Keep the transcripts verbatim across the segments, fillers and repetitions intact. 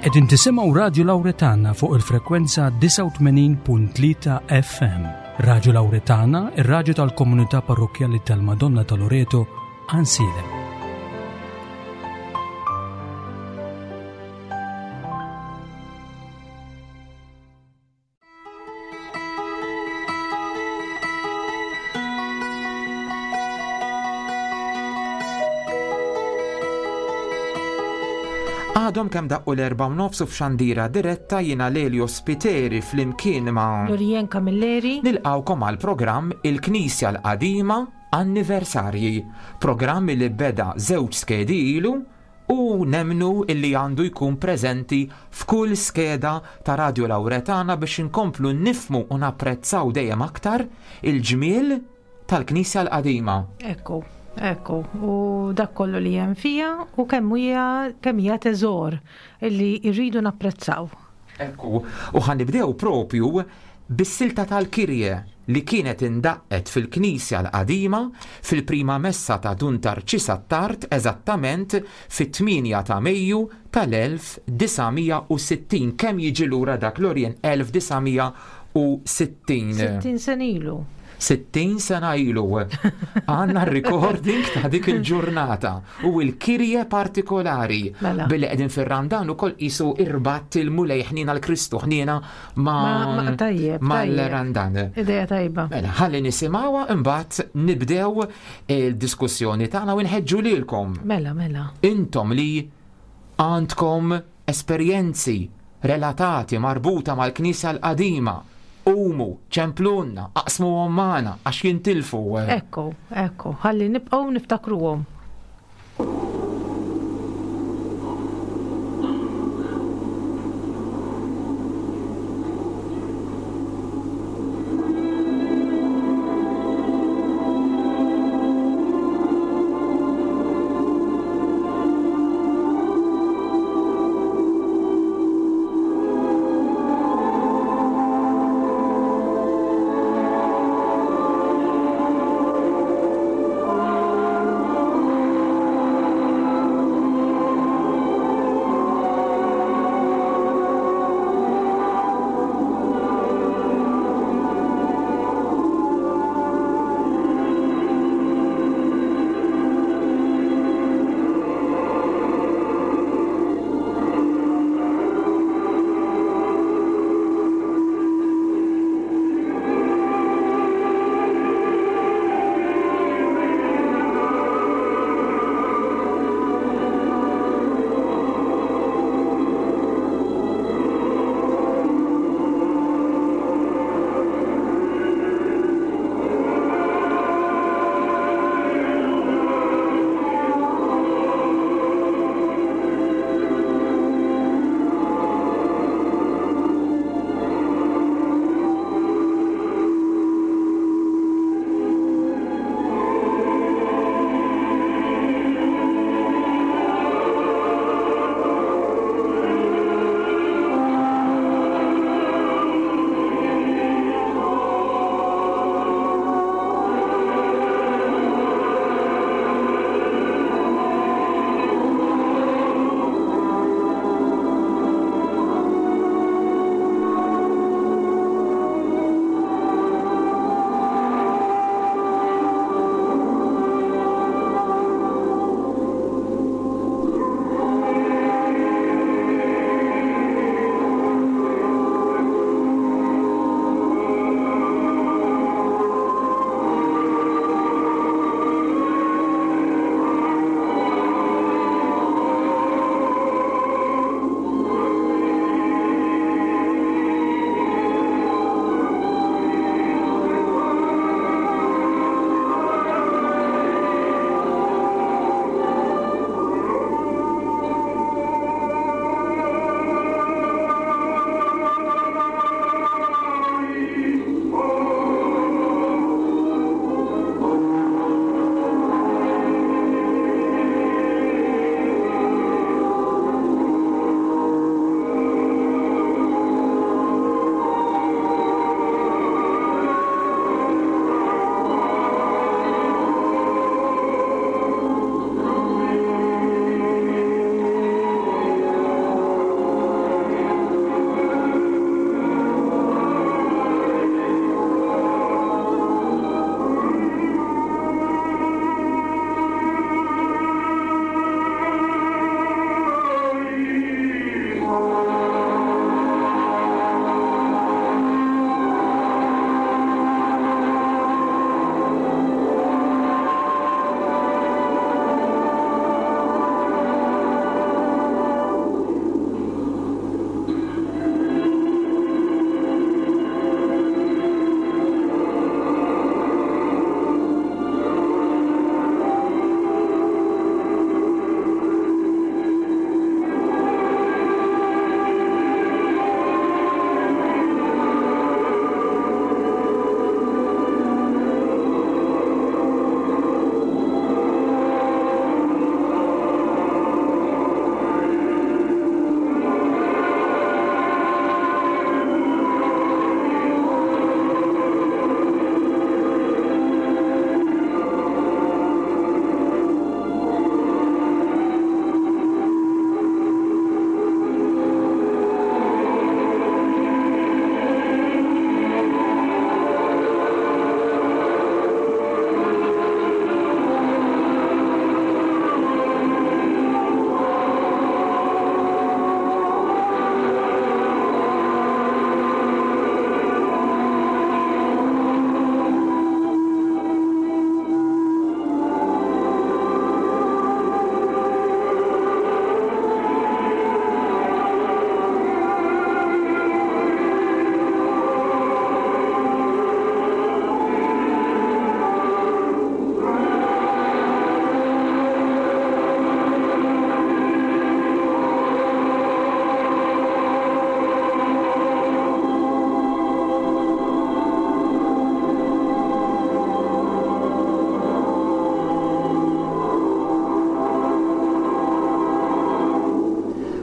Qegħdin tisimgħu Radju Lawretana fuq il-frekwenza disgħa u tmenin punt tlieta F M. Radju Lawretana, ir-radju tal-komunità parrokkjali tal-Madonna ta' Loreto, Għajnsielem. Għadhom kemm daqqu l-erba' u nofs u f'xandira diretta jiena Lelio Spiteri flimkien ma' Lorien Camilleri. Nilqawkom għal programm Il-Knisja l-Qadima Anniversarji, programm li beda żewġ skedi ilu u nemnu illi għandu jkun preżenti f'kull skeda ta' Radio Lawretana biex inkomplu nifmu u napprezzaw dejjem aktar il-ġmiel tal-Knisja l-Qadima. Ekku, ekku, u dak kollu li hemm fija u kemm hija, kemm hija teżor illi rridu napprezzaw. Ekku, u ħanibdew propju bis-silta tal-Kirje li kienet indaqqet fil-Knisja l-Qadima fil-prima messa ta' Dun Tarċis Attard eżattament fit-tmienja ta' Mejju tal-elf disa' mija u sittin. Kemm jiġi lura dak, Lorien? elf disa' mija u sittin. Sittin sena ilu. Sittin sena ilu. Għanna recording ta' dik il-ġurnata u l-kirje partikolari. Mela. Billi qegħdin fir-Randan ukoll qisu irbatt il-Mulej ħnina l-Kristu ħnina ma' Ma-, ma-, tajjeb, mal-Randan. tajjeb. Ideja tajba. Mela, ħalli nisimgħuha imbagħad nibdew il-diskussjoni tagħna u nħeġġu lilkom. Mela, mela. Intom li għandkom esperjenzi relatati marbuta mal-Knisja l-Qadima, umu, ċemplunna, aqsmuhom magħna għax jintilfu. Ekku, ekku, ħalli nibqgħu niftakruhom. Thank you.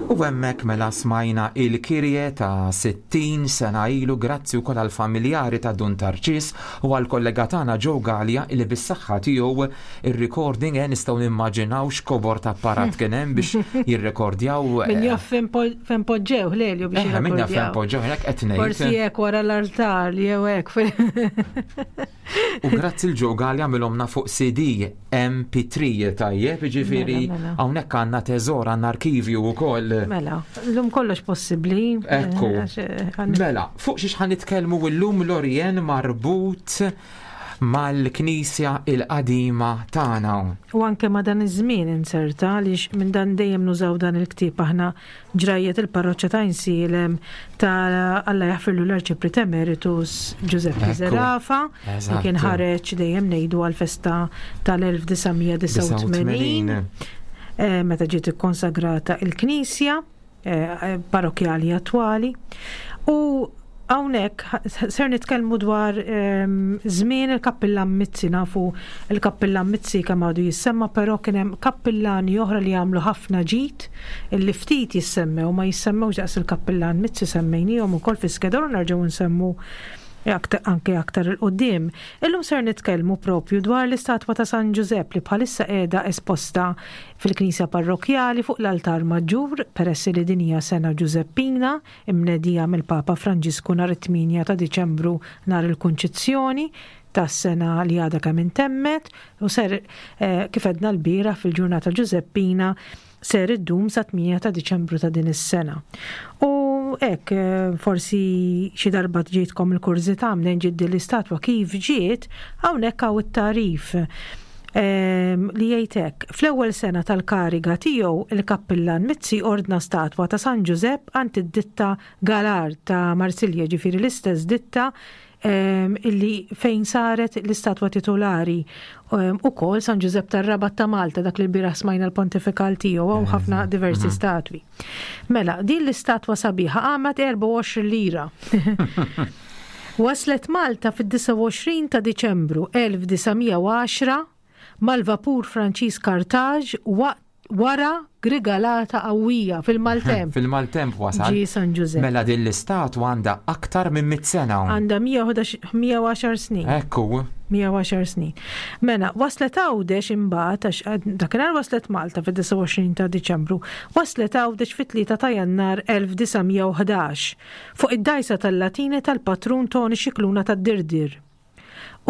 U hemmhekk mela smajna il-Kyrie ta' sittin sena ilu, grazzi wkoll għall-familjari ta' Dun Tarċis u għall-kollega tagħna Joe Galea li bis-saħħa tiegħu ir-recording eh, nistgħu nimmaġinaw x'kobor ta' apparat kien hemm biex jirrekordjaw. Min jaf fejn poġġew Lelju biex Eh, min jaf fejn poġġew, hekk qed ngħid. Forsi hekk wara l-altar jew hekk. U grazzi l-Joe Galea għamilhomlna fuq C D M P three, tajjeb, jiġifieri Mela, mela. hawnhekk għandna teżor, għandna arkivju wkoll. Mela, llum kollox possibbli. Ekku. Eh, għax, eh, għan- Mela, fuq xiex ħa nitkellmu llum, Lorien, marbut mal-Knisja il-qadima tagħna? U anke ma dan iż-żmien inserta, għaliex minn dan dejjem nużaw dan il-ktieb aħna, Ġrajjet il-parroċċa ta' Għajnsielem ta' Alla jaħfirlu l-Arċipriet Emeritus Giuseppe Ekku. Zerafa, li kien Eżatt. ħareġ dejjem ngħidu għal-festa tal-elf disa' mija disgħa u tmenin, eh, meta ġiet ikkonsagrata il-Knisja eh, parrokjali attwali. U hawnhekk ser nitkellmu dwar ehm, żmien il-Kappillan Mizzi. Nafu il-Kappillan Mizzi kemm għadu jissemma, però kien hemm kappillani oħra li għamlu ħafna ġid illi ftit jissemmew, ma jissemmewx daqs il-Kappillan Mizzi. Semmejnihom ukoll fi skeda u nerġgħu nsemmu aktar, anke aktar 'il quddiem. Illum ser nitkellmu propju dwar l-istatwa ta' San Giuseppe li bħalissa qiegħda esposta fil-Knisja Parrokjali fuq l-altar maġġur, peress li din hija sena Ġużeppina imnedija mill-Papa Franġisku nhar it-tmienja ta' Diċembru, nhar il-Kunċizzjoni tas-sena li għadha kemm intemmet, u ser eh, kif għedna l-bieraħ fil-ġurnata Ġużeppina ser iddum sa tmienja ta' Diċembru ta' din is-sena. U hekk eh, forsi xi darba ġietkom il-kurżità mnejn ġiet din l-istatwa, kif ġiet, hawnhekk hawn it-tarif ehm, li jgħid hekk: fl-ewwel sena tal-kariga tiegħu, il-Kappillan Mizzi ordna statwa ta' San Ġużepp għand id-ditta Galar ta' Marsilja, ġifieri l-istess ditta ehm, illi fejn saret l-istatwa titolari um, ukoll San Ġużepp tar-Rabat ta' Malta, dak li l-bieraħ smajna l-pontifikal tiegħu, hawn ħafna diversi statwi. Mela, din l-istatwa sabiħa qamet erbgħa u għoxrin lira. Waslet Malta fid-disgħa u għoxrin ta' Diċembru elf disa' mija u għaxra mal-vapur Franċiż Carthage waqt wara grigalata qawwija fil-maltemp. Fil-maltemp wasal. Ġie San Ġużepp. Mela din l-istatwa għandha aktar minn mitt sena. Għandha mija u għaxar snin. Ekku. mija u għaxar snin. Mela, waslet Għawdex imbagħad, għax dakinhar waslet Malta fid-disgħa u għoxrin ta' Diċembru, waslet Għawdex fit-tlieta ta' Jannar elf disa' mija u ħdax fuq id-dajsa tal-Latini tal-patrun Toni Xikluna tad-Dirdir.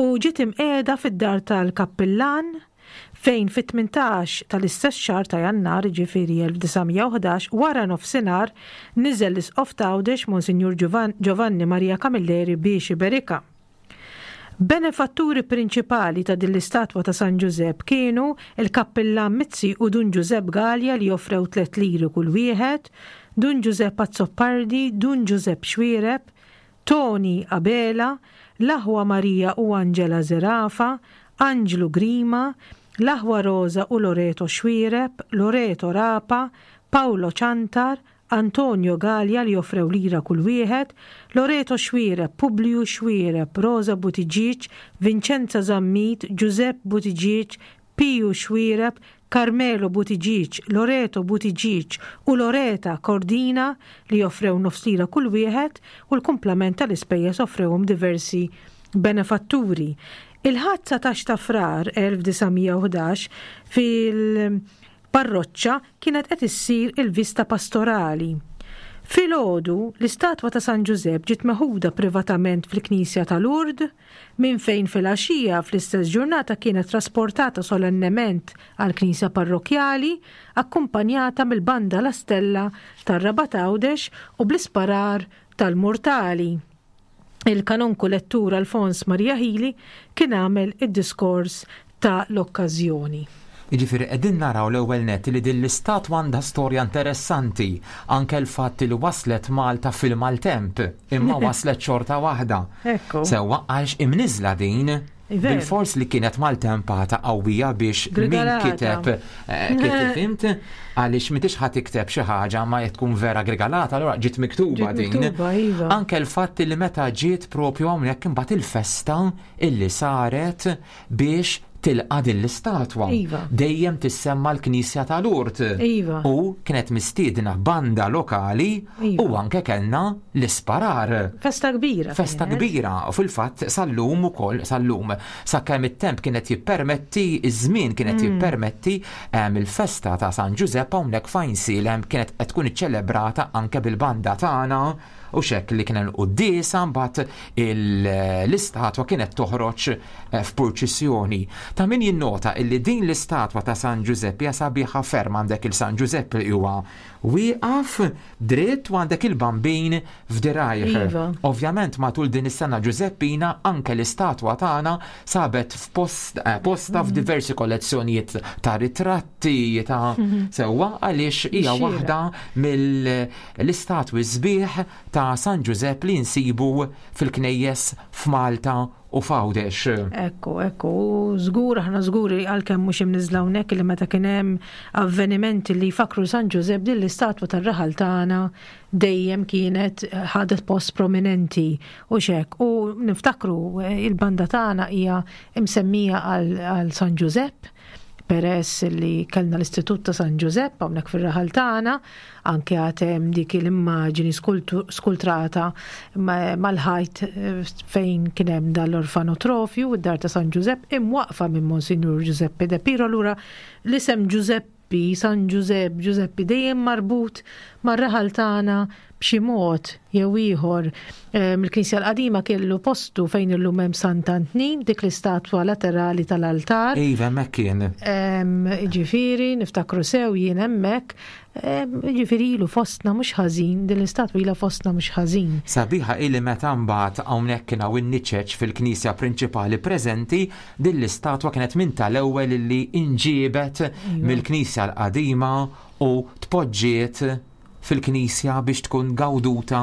U ġiet imqiegħda fid-dar tal-Kappillan, fejn fit-tmintax tal-istess xahar ta' Jannar, ġifieri elf disa' mija u ħdax, wara nofsinhar niżel l-Isqof t'Għawdex Monsinjur Giovanni Maria Camilleri biex iberika. Benefatturi prinċipali ta' din l-istatwa ta' San Ġużepp kienu il-Kappillan Mizzi u Dun Ġużepp Galea, li offrew tliet liri kull wieħed, Dun Ġużepp Azzopardi, Dun Ġużepp Xwireb, Toni Abela, l-aħwa Marija u Angela Zerafa, Anġlu Grima, l-aħwa Rosa u Loreto Xwireb, Loreto Rapa, Paolo Ciantar, Antonio Galea li offrew lira kull wieħed, Loreto Xwireb, Publiu Xwireb, Rosa Buttigieg, Vincenza Zammit, Giuseppe Buttigieg, Piju Xwireb, Carmelo Buttigieg, Loreto Buttigieg u Loreta Cordina li offrew nofs lira kull wieħed, u l-kumplament tal-ispejjeż offrewhom diversi benefatturi. Il-Ħadd dsatax ta' Frar elf disa' mija u ħdax fil-parroċċa kienet qed issir il-vista pastorali. Filgħodu, l-istatwa ta' San Ġużepp ġiet meħuda privatament fil-Knisja ta' Lourdes, minn fejn fil-għaxija fl-istess ġurnata kienet trasportata solennement għal-Knisja Parrokjali, akkumpanjata mill-banda La Stella tar-Rabat Għawdex u bl-isparar tal-mortali. Il-kanonku lettur Alfons Maria Hili kien għamel id-diskors ta' l-okkażjoni. Jiġifieri qegħdin naraw l-ewwel net li din l-istatwa għandha storja interessanti, anke l-fatt li waslet Malta fil-maltemp, imma waslet xorta waħda. Ekku. Sewwa, għax imniżla din Veru. bil-fors li kienet maltempata qawwija biex min Grigalata. kiteb eh, kif fhimt, għaliex m'intix ħa tikteb xi ħaġa ma tkun vera grigalata, allura ġiet miktuba Ġiet din. miktuba, iva. Anke l-fatt li meta ġiet propju hawnhekk imbagħad il-festa illi saret biex tilqa' din l-istatwa. Iva. Dejjem tissemma l-Knisja ta' Lourdes. Iva. U kienet mistiedna banda lokali Iva. u anke kellna l-isparar. Festa kbira. Festa kienet. kbira u fil-fatt sal-lum ukoll sal-lum sakemm it-temp kienet jippermetti, iż-żmien kienet Mm. jippermetti em, il-festa ta' San Ġużepp hawnhekk f'Għajnsielem kienet qed tkun iċċelebrata anke bil-banda tagħna u xek li kien hemm quddiesa mbagħad il- l-istatwa kienet toħroġ eh, f'purċissjoni. Ta' min jinnota illi din l-istatwa ta' San Ġużepp hija sabiħa ferm. Għandek il-San Ġużepp li huwa wieqaf dritt u għandek il-Bambin f'dirajh. Iva. Ovvjament matul din is-sena Ġużeppina anke l-istatwa tagħna sabet f'post eh, posta f'diversi kollezzjonijiet ta' ritratti ta' sewwa għaliex hija Xira. waħda mill-istatwi sbieħ ta' San Ġużepp li nsibu fil-knejjes f'Malta u f'Għawdex. Ekku, ekku, żgur, aħna żguri għalkemm mhux imniżla hawnhekk li meta kien hemm avvenimenti li jfakru San Ġużepp, din l-istatwa tar-raħal tagħna dejjem kienet ħadet post prominenti u xek. U niftakru eh, il-banda tagħna hija imsemmija għal għal San Ġużepp peress li kellna l-Istitut ta' San Ġużepp hawnhekk fir-raħal tagħna, anke għad hemm dik l-immaġini skultu- skultrata ma- mal-ħajt eh, fejn kien hemm dal-orfanotrofju, id-dar ta' San Ġużepp imwaqfa minn Monsignor Giuseppe De Piro. Allura l-isem Giuseppi, San Ġużepp, Giuseppi dejjem marbut mar-raħal tagħna b'xi mod jew ieħor. Eh, Mill-Knisja l-qadima kellu postu fejn illum hemm Sant'Antnin, dik l-istatwa laterali tal-altar. Iva, hemmhekk kien. Em, Ġifieri, niftakru sew jien hemmhekk, em, ġifieri ilu fostna mhux ħażin, din l-istatwa ilha fostna mhux ħażin. Sabiħa illi meta mbagħad hawnhekk kien hawn in-niċeċ fil-knisja prinċipali preżenti, din l-istatwa kienet minn tal-ewwel illi inġiebet mill-knisja l-qadima u tpoġġiet fil-knisja biex tkun gawduta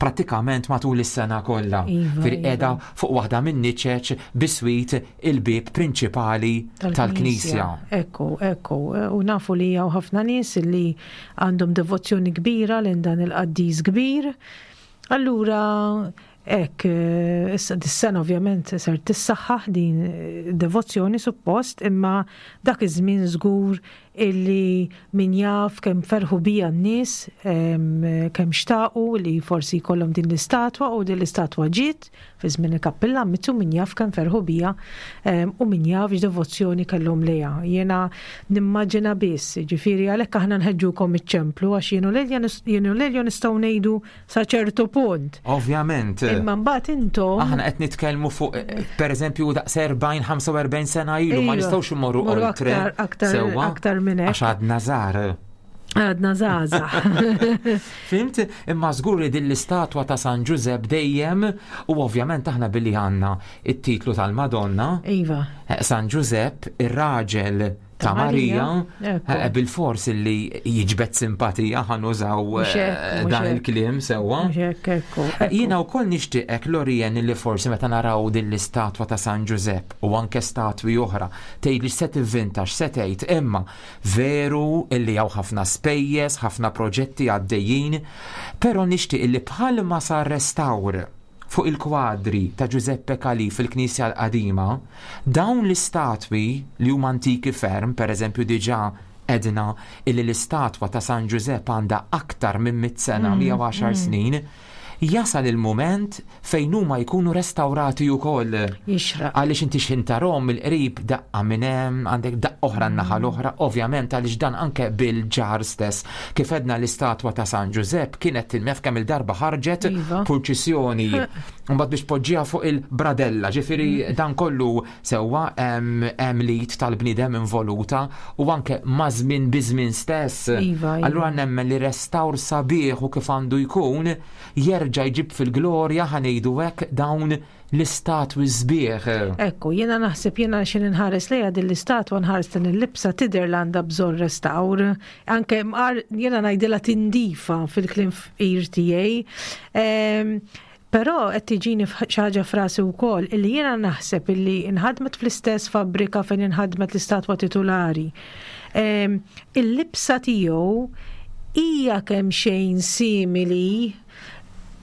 prattikament matul is-sena kollha. Iva, Fir iva. qiegħda fuq waħda minn niċeċ biswit il-bieb prinċipali tal-knisja. Ekku, ekku, u nafu li hawn ħafna nies li għandhom devozzjoni kbira lejn dan il-qaddis kbir. Allura, hekk, eh, issa dis-sena ovvjament ser tissaħħaħ din eh, devozzjoni suppost, imma dak iż-żmien żgur illi min jaf kemm ferħu bija n-nies, em, kemm xtaqu li forsi jkollhom din l-istatwa u din l-istatwa ġiet fi żmien il-kappilla mitu, min jaf kemm ferħu bija em, u min jaf x'devozzjoni kellhom lejha. Jiena nimmaġina biss, ġifieri għalhekk aħna nħeġġukom iċċemplu għax jien u Lelja nis- jien u Lelja nistgħu ngħidu sa ċertu punt. Ovvjament. Imma mbagħad intom Aħna qed nitkellmu fuq eh, pereżempju daqs erbgħin ħamsa u erbgħin sena ilu, ma Iva. nistgħux immorru Morru oltre. aktar- aktar- Sewwa? aktar minn hekk. Għax għadna żgħar. Għadna żgħażagħ. Fhimt? Imma żgur li din l-istatwa ta' San Ġużepp dejjem u ovvjament aħna billi għandna it-titlu tal-Madonna, Iva. eh, San Ġużepp, ir-raġel ta' Ta' Marija, Marija, ekku. eh, bil-fors li jiġbed simpatija, ħa nużaw Mhux hekk, eh, mhux dan hekk. il-kliem sewwa. Mhux hekk, ekku. Eh, Jiena wkoll nixtieqek, Lorien, li forsi meta naraw din l-istatwa ta' San Ġużepp u anke statwi oħra tgħid li se tivvinta, x'se tgħid, imma veru illi hawn ħafna spejjeż, ħafna proġetti għaddejjin, però nixtieq illi bħalma sar restawr fuq il-kwadri ta' Giuseppe Calì fil-Knisja l-Qadima, dawn l-istatwi li huma antiki ferm, per eżempju diġà għedna illi l-istatwa ta' San Giuseppe għandha aktar minn mitt sena, mija u għaxar snin, jasal il-moment fejn huma jkunu restawrati wkoll. Jixraq. Għaliex inti x'ħin tarahom mill-qrib, daqqa minn hemm, għandek daqqa oħra n-naħa l-oħra, ovvjament għaliex dan anke bil-ġar stess. Kif għedna, l-istatwa ta' San Ġużepp kienet tilmef kemm il-darba ħarġet Iva. purċissjoni. Mbagħad biex poġġiha fuq il-bradella, ġifieri dan kollu sewwa hemm hemm l-id tal-bniedem involuta u anke ma' żmien biżmien stess. Iva, iva. Allura nemmen li restawr sabiħ u kif għandu jkun jerġa' jġib fil-glorja, ħa ngħidu hekk, dawn l-istatwi sbieħ. Ekku, jiena naħseb jiena xi nħares lejha din l-istatwa, nħares din il-libsa, tidher li għandha bżonn restawr. Anke mqar jiena ngħidilha tindifa fil-kliem fqir tiegħi. Ehm, Però qed tiġini xi ħaġa frasi wkoll illi jiena naħseb illi inħadmet fl-istess fabbrika fejn inħadmet l-istatwa titulari. Ehm, Il-libsa tiegħu hija kemm xejn simili,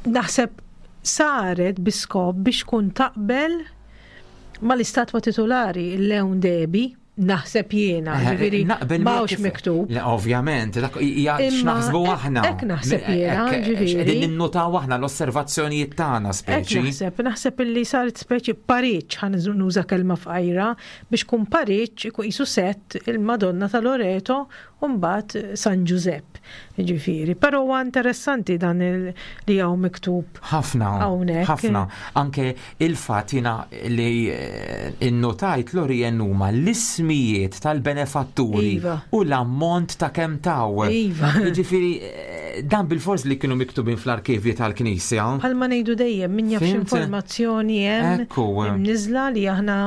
naħseb saret bi skop biex kun taqbel Mal-istatwa titolari il-Lewn Debi, naħseb jiena, Eh, ġifieri naqbel m'hawnx miegħek. Miktub. Le, ovvjament, dak hija Imma x'naħsbu hekk- aħna. hekk naħseb jiena, Hekk, ġifieri. Qegħdin ninnutaw aħna l-osservazzjonijiet tagħna Hekk speċi. naħseb, naħseb illi saret speċi pariċ, ħa nuża kelma fqajra, biex kun pariċ ikun qisu set il-Madonna ta' Loreto u mbagħad San Giuseppe. Ġifieri, però huwa interessanti dan il- li hawn miktub. Ħafna, Hawnhekk. Ħafna. Anke il-fatt jiena li eh, innotajt Lorien huma l-ismijiet tal-benefatturi Iva. u l-ammont ta' kemm taw. Iva. Jiġifieri eh, dan bil-fors li kienu miktubin fl-arkivji tal-Knisja. Bħalma ngħidu dejjem min jaf Fhimt? informazzjoni hemm Ekku. imniżla li aħna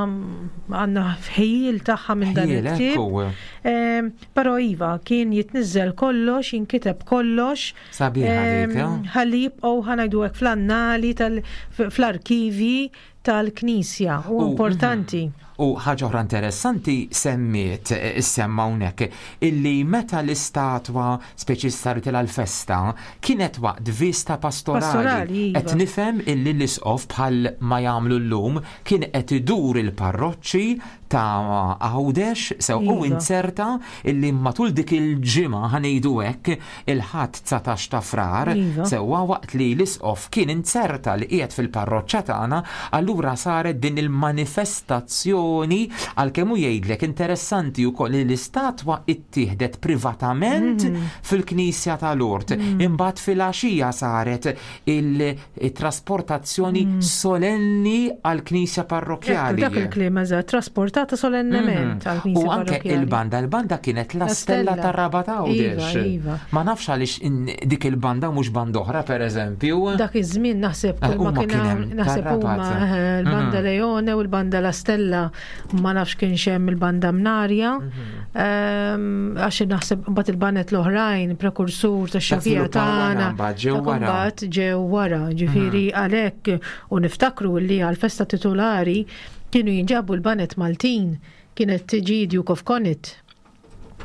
għandna ħejjil tagħha minn dan Ħjiel, il-ktieb. ekku. Em, Però iva, kien jitniżel kollox, jinkiteb kollox. Sabiħa Em, dik, eh? Ħalli jibqgħu ħa ngħidu hekk fl-annali tal fl-arkivi tal-Knisja. U U- importanti. U ħaġa oħra interessanti semmiet, eh, semma hawnhekk, illi meta l-istatwa speċi saritilha l-festa kienet waqt vista pastorali. Pastorali, iva. Qed nifhem illi l-isqof bħal ma jagħmlu llum kien qed idur il-parroċċi ta' Għawdex sew u Iva. inserta illi matul dik il-ġimgħa, ħa ngħidu hekk, il-Ħadd dsatax ta' Frar Iva. sewwa waqt li l-isqof kien inserta li qiegħed fil-parroċċa tagħna, allura saret din il-manifestazzjoni, għalkemm hu jgħidlek interessanti wkoll li l-istatwa ittieħdet privatament Mm. fil-Knisja ta' Lourdes. Imbagħad fil-għaxija saret il-trasportazzjoni solenni għall-Knisja parrokkjali. Mm. Dak il-kliem eżatt, trasportata solennement Mhm. għall-Knisja U anke parrokkjali. il-banda, il-banda kienet La La Stella Stella. tar-Rabat Għawdex. Iva, iva. Ma nafx għaliex in- dik il-banda mhux banda oħra, per eżempju. Dak iż-żmien naħseb Eh, kull ma huma kien kien hawn hemm naħseb huma tar-Rabat. eh, l-banda Mhm. Leone u l-banda La Stella, ma nafx kien hemm il-banda Mnarja. Mhm. Ehm, Għax naħseb mbagħad il-baned l-oħrajn prekursur tax-Xewkija żviluppaw wara, tagħna. mbagħad ġew Dak wara. Mbagħad ġew wara, ġifieri għalhekk u niftakru li għal-festa titolari kienu jinġabu l-baned Maltin, kienet tiġi Duke of Connaught.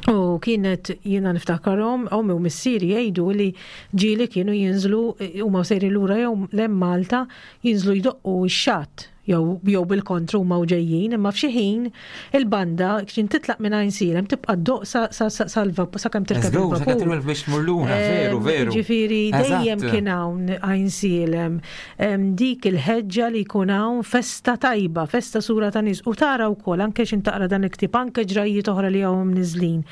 U kienet jiena niftakarhom, ommi u missieri jgħidu li ġieli kienu jinżlu huma sejri lura jew lejn Malta, jinżlu jdoqqu x-xatt jew jew bil-kontru huma u ġejjin, imma f'xi ħin il-banda kien titlaq minn Għajnsielem tibqa' ddoqq sa sa sa salva sakemm tirkeb Żgur, sa il-vapur. kemm biex tmur lura, veru, Em, veru. Ġifieri dejjem Eżatt. kien hawn Għajnsielem em, dik il-ħeġġa li jkun hawn festa tajba, festa sura ta' nies u tara wkoll anke x'in taqra dan il-ktieb, anke ġrajiet oħra li hawn mniżlin.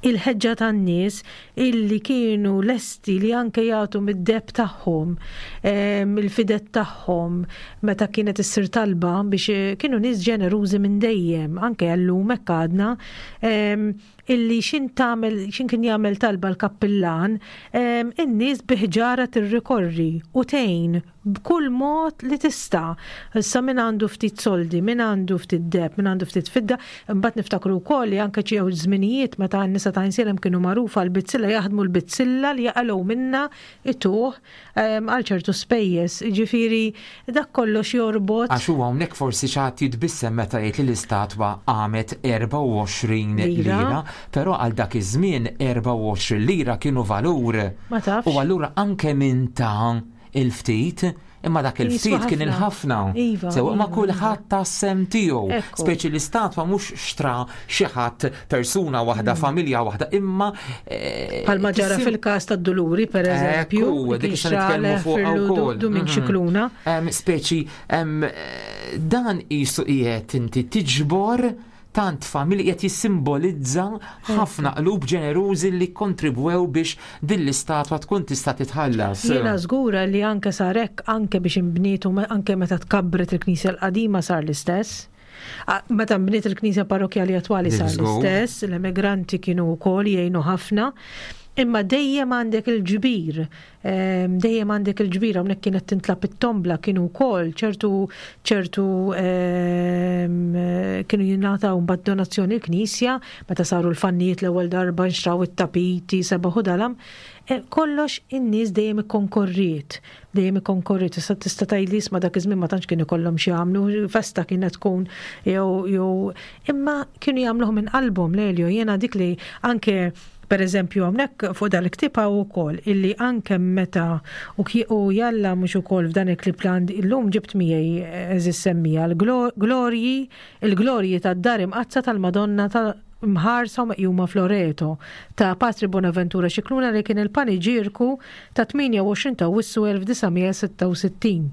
Il-ħeġġa tan-nies illi kienu lesti li anke jagħtu mid-deheb tagħhom, em, il-fided tagħhom, meta kienet issir talba biex eh, kienu nies ġenerużi minn dejjem, anke llum hekk għadna, em, illi xin tagħmel xin kien jagħmel talba l-kappillan, em, in-nies biħġara tirrikorri u tgħin b'kull mod li tista'. Issa min għandu ftit soldi, min għandu ftit deheb, min għandu ftit fidda, imbagħad niftakru wkoll li anke ġew żminijiet meta n-nisa ta' Għajnsielem kienu magħrufa l-bizzilla, jaħdmu l-bizzilla li jaqalgħu minna ituh em, għal ċertu spejjeż. Ġifieri dak kollox jorbot. Għax huwa hawnhekk forsi xi ħadd jitbissem meta jgħid li l-istatwa għamet erbgħa u għoxrin Lira. lira, però għal dak iż-żmien erbgħa u għoxrin lira kienu valur. Ma tafx. U allura anke minn ta' il-ftit, imma dak il-ftit Jiswa kien ħafna. il-ħafna. Iva, Sew, ma iva, kulħadd ta s-sehem tiegħu. Ekku. Speċi l-istatwa mhux xtra xi ħadd, persuna waħda, familja waħda, imma eh, Palma ġara tissim- fil-kas ta' Duluri, per eżempju, Ekku, li dik kien issa nitkellmu xtralef fuq Firlu wkoll. Dumink Mhm. Xikluna. Em, Speċi, em, eh, dan qisu qiegħed inti tiġbor tant familji, qed jissimbolizza ħafna qlub ġenerużi li kontribwew biex din l-istatwa tkun tista' titħallas. Jiena żgura li anke sarek anke biex imbnietu anke meta tkabbret il-Knisja l-qadima sar l-istess. A- Meta nbniet il-Knisja parrokjali attwali sar Żgur. l-istess, l-emigranti kienu wkoll jgħinu ħafna. Imma dejjem għandek il-ġbir, em, dejjem għandek il-ġbir, hawnhekk kienet tintlab it-tombla, kienu wkoll ċertu ċertu em, kienu jingħataw mbagħad donazzjoni l-Knisja, meta saru l-fannijiet l-ewwel darba nxtraw it-tapiti, sebaħu dalam. E, kollox in-nies dejjem ikkonkorriet Dejjem ikkonkorri, tista' tista' tgħidli isma' dak iż-żmien ma tantx kien ikollhom xi jagħmlu, festa kienet tkun jew jew imma kienu jagħmluh minn qalbhom Lelio, jiena dik li anke per eżempju hawnhekk fuq dal-ktieb hawn ukoll illi anke meta u u jalla mhux ukoll f'dan il-klib li illum ġibt miegħi eżis semmija l-glorji il-glorji tad-dar imqaddsa tal-Madonna ta' mħarsa u meqjuma f'Loreto ta' Patri Bonaventura Scicluna li kien il-paniġirku ta' tmienja u għoxrin ta' Awwissu elf disa' mija sitta u sittin.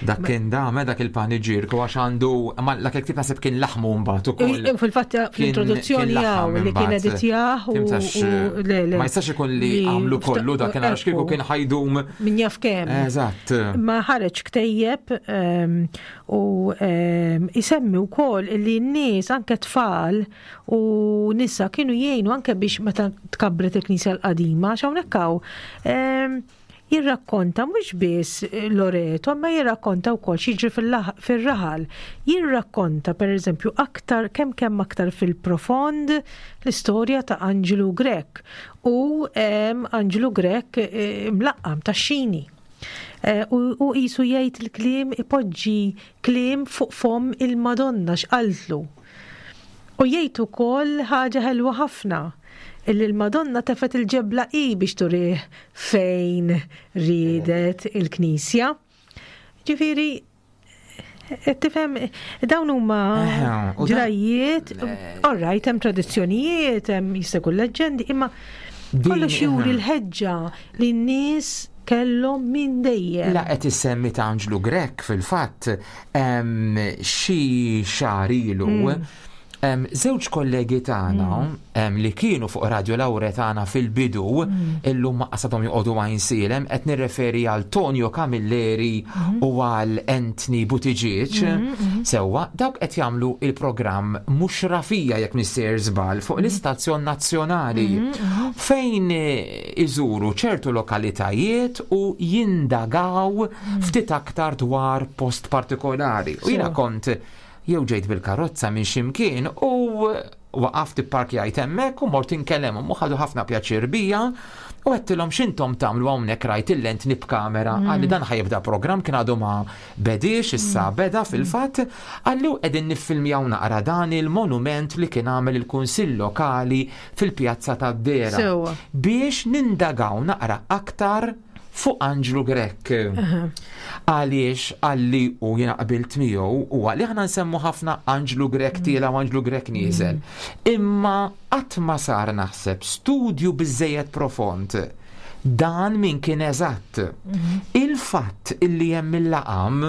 Dak kien dame dak il-paniġirku għax għandu, ma dak il-ktieb naħseb kien laħmu mbagħad ukoll. Fil-fatt fl-introduzzjoni hawn li kien editjah u le, le. Ma jistax ikun li għamlu kollu dak kien għax kieku kien ħajdum. Min jaf kemm. Eżatt. Ma ħareġ ktejjeb ehm, u ehm, isemmi wkoll li n-nies anke tfal u nisa kienu jgħinu anke biex meta tkabbret il-Knisja l-qadima, għax hawnhekk hawn ehm, jirrakkonta mhux biss Loreto, ma jirrakkonta wkoll x'jiġri fir-raħal. Jirrakkonta pereżempju aktar kemm kemm aktar fil-profond l-istorja ta' Anġlu Grech u Anġlu Grech eh, mlaqqam ta' xini. Eh, u jisu jgħid il-kliem, ipoġġi kliem fuq fom il-Madonna x'qaltlu. U jgħid ukoll ħaġa ħelwa ħafna illi l-Madonna tefet il-ġebla i biex turih fejn ridet il-Knisja. Ġifieri, tifhem, dawn huma ġrajiet, all right, hemm tradizzjonijiet, hemm jista' jkun leġġendi, imma kollox juri l-ħeġġa li n-nies kellhom minn dejjem. La qed issemmi ta' Anġlu Grech, fil-fatt xi xahar ilu mm. Żewġ kollegi tagħna mm. li kienu fuq Radio Lauretana fil-bidu, mm. illum ma qasadhom joqogħdu Għajnsielem, qed nirreferi għal Tonio Camilleri mm. u għal Anthony Buttigieg. Sewwa, dawk qed jagħmlu il-programm Mhux Rafija, jekk m'iniex żball, fuq l-istazzjon nazzjonali fejn iżuru ċertu lokalitajiet u jindagaw ftit aktar dwar post partikolari. U jiena kont jew ġejt bil-karozza minn ximkien u waqaft, ipparkjajt hemmhekk u mort inkellemhom u ħadu ħafna pjaċir bija u għedtilhom, "X'intom tagħmlu hawnhekk? Rajt il-lenti b'kamera." mm. Qalli dan ħa jibda program, kien għadu ma bediex, issa mm. beda fil-fatt. Qalli qegħdin niffilmjaw naqra dan il-monument li kien għamel il-Kunsill Lokali fil-Pjazza tad-Dera biex nindagaw naqra aktar fuq Anġlu Grech. Għaliex qalli, u jiena qabilt miegħu, u għalli aħna nsemmu ħafna Anġlu Grech tiela' u Anġlu Grech nieżel. Imma qatt ma sar naħseb studju biżejjed profond dan min kien eżatt. Il-fatt illi hemm il-laqam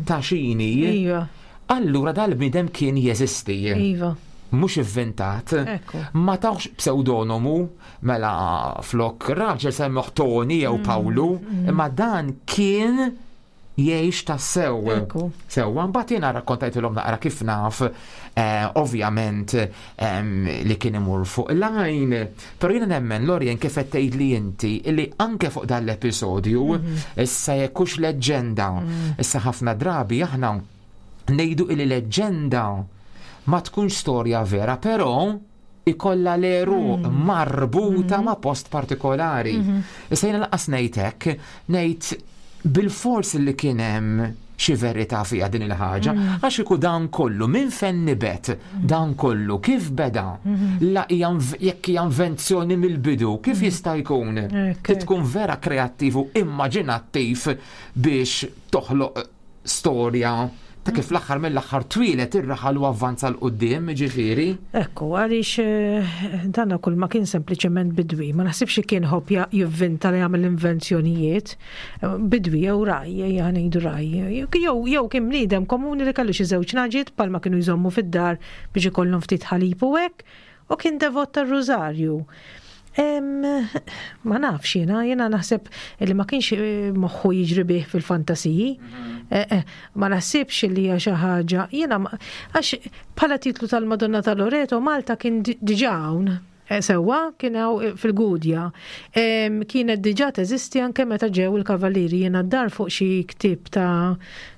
ta' xini, Iva. allura dal-bniedem kien jeżisti. Iva. Mhux inventat. Ekku. Ma tawx pseudonomu, mela flok raġel semmuh Toni jew Pawlu, imma dan kien jgħix ta' sew. Ekku. Sewwa, mbagħad jiena rakkontajtilhom naqra kif naf, eh, ovvjament em, li kien imur fuq line, però jiena nemmen, Lorien, kif qed tgħid li inti li anke fuq dan l-episodju, issa jekk hux leġġenda, issa ħafna drabi aħna ngħidu li leġġenda ma tkunx storja vera, però ikolla l-għeruq marbuta ma' post partikolari. Issa jiena lanqas ngħid hekk, ngħid bil-fors li kien hemm xi verità fiha din il-ħaġa, għax iku dan kollu minn fejn nibet, dan kollu kif beda, la hija inv- jekk hija invenzjoni mill-bidu, kif jista' jkun? Ekk, Trid tkun vera kreattiv u immaġinattiv biex toħloq storja ta' kif l-aħħar mill-aħħar twieled ir-raħal u avvanza 'l quddiem, ġifieri. Ekku, għaliex eh, dan kull ma kien sempliċement bidwi, ma naħsibx li kien ħobb ja- jivvinta li jagħmel invenzjonijiet, eh, bidwi jew raj, ejja ngħidu raj, jew jew kien bniedem komuni li kellu xi żewġ nagħġiet palma kienu jżommu fid-dar biex ikollhom ftit ħalib u hekk, u kien devot tar-Rużarju. Em, ma nafx jiena, jiena naħseb li ma kienx eh, moħħu jiġri bih fil-fantasiji. Eh, eh, ma naħsibx li hija xi ħaġa. Jiena ma- għax bħala titlu tal-Madonna ta' Loreto Malta kien di- diġà hawn. Eh, Sewwa, kien hawn eh, fil-Gudja. Em, Kienet diġà teżisti anke meta ġew il-Kavallieri. Jiena d-dar fuq xi ktieb ta'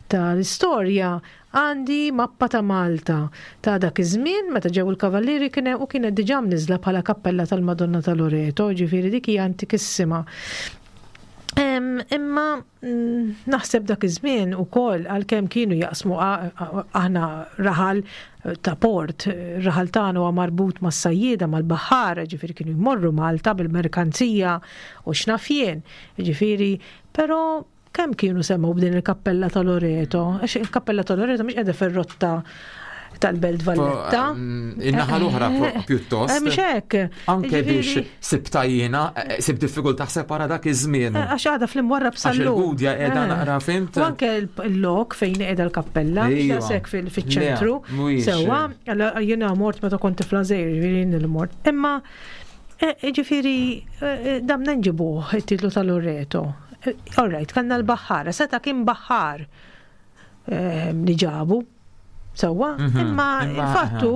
ta' l-istorja għandi mappa ta' Malta ta' dak iż-żmien meta ġew il-Kavallieri kien u kienet diġà mniżla bħala kappella tal-Madonna ta' Loreto, ġifieri dik hija antikissima. Imma mm, naħseb dak iż-żmien ukoll għalkemm kienu jaqsmu aħna raħal ta' port, raħal tagħna huwa marbut mas-sajjieda mal-baħħara, ġifieri kienu jmorru Malta bil-merkanzija u x'naf jien, ġifieri, però kemm kienu semgħu b'din il-kappella ta' Loreto? Għax il-kappella ta' Loreto mhix qiegħda fir-rotta tal-Belt Valletta. Mm, in-naħa l-oħra pjuttost. Eh, mhux hekk. Anke biex sibta jiena, eh, sib diffikultà taħseb ara dak iż-żmien. Eh, għax għadha fl-imwarrab Għax il-Gudja qiegħda naqra fhimt. U anke l-lok fejn qiegħda l-kappella, sekk fil-ċentru. Sewwa, jiena mort meta kont tifla żgħir, ġifieri il-mort. Imma ġifieri damna nġibuh it-titlu tal-Loreto. All right, kellna l-baħħara, seta kien baħħar li ġabu. Sewwa, mhm. imma il-fattu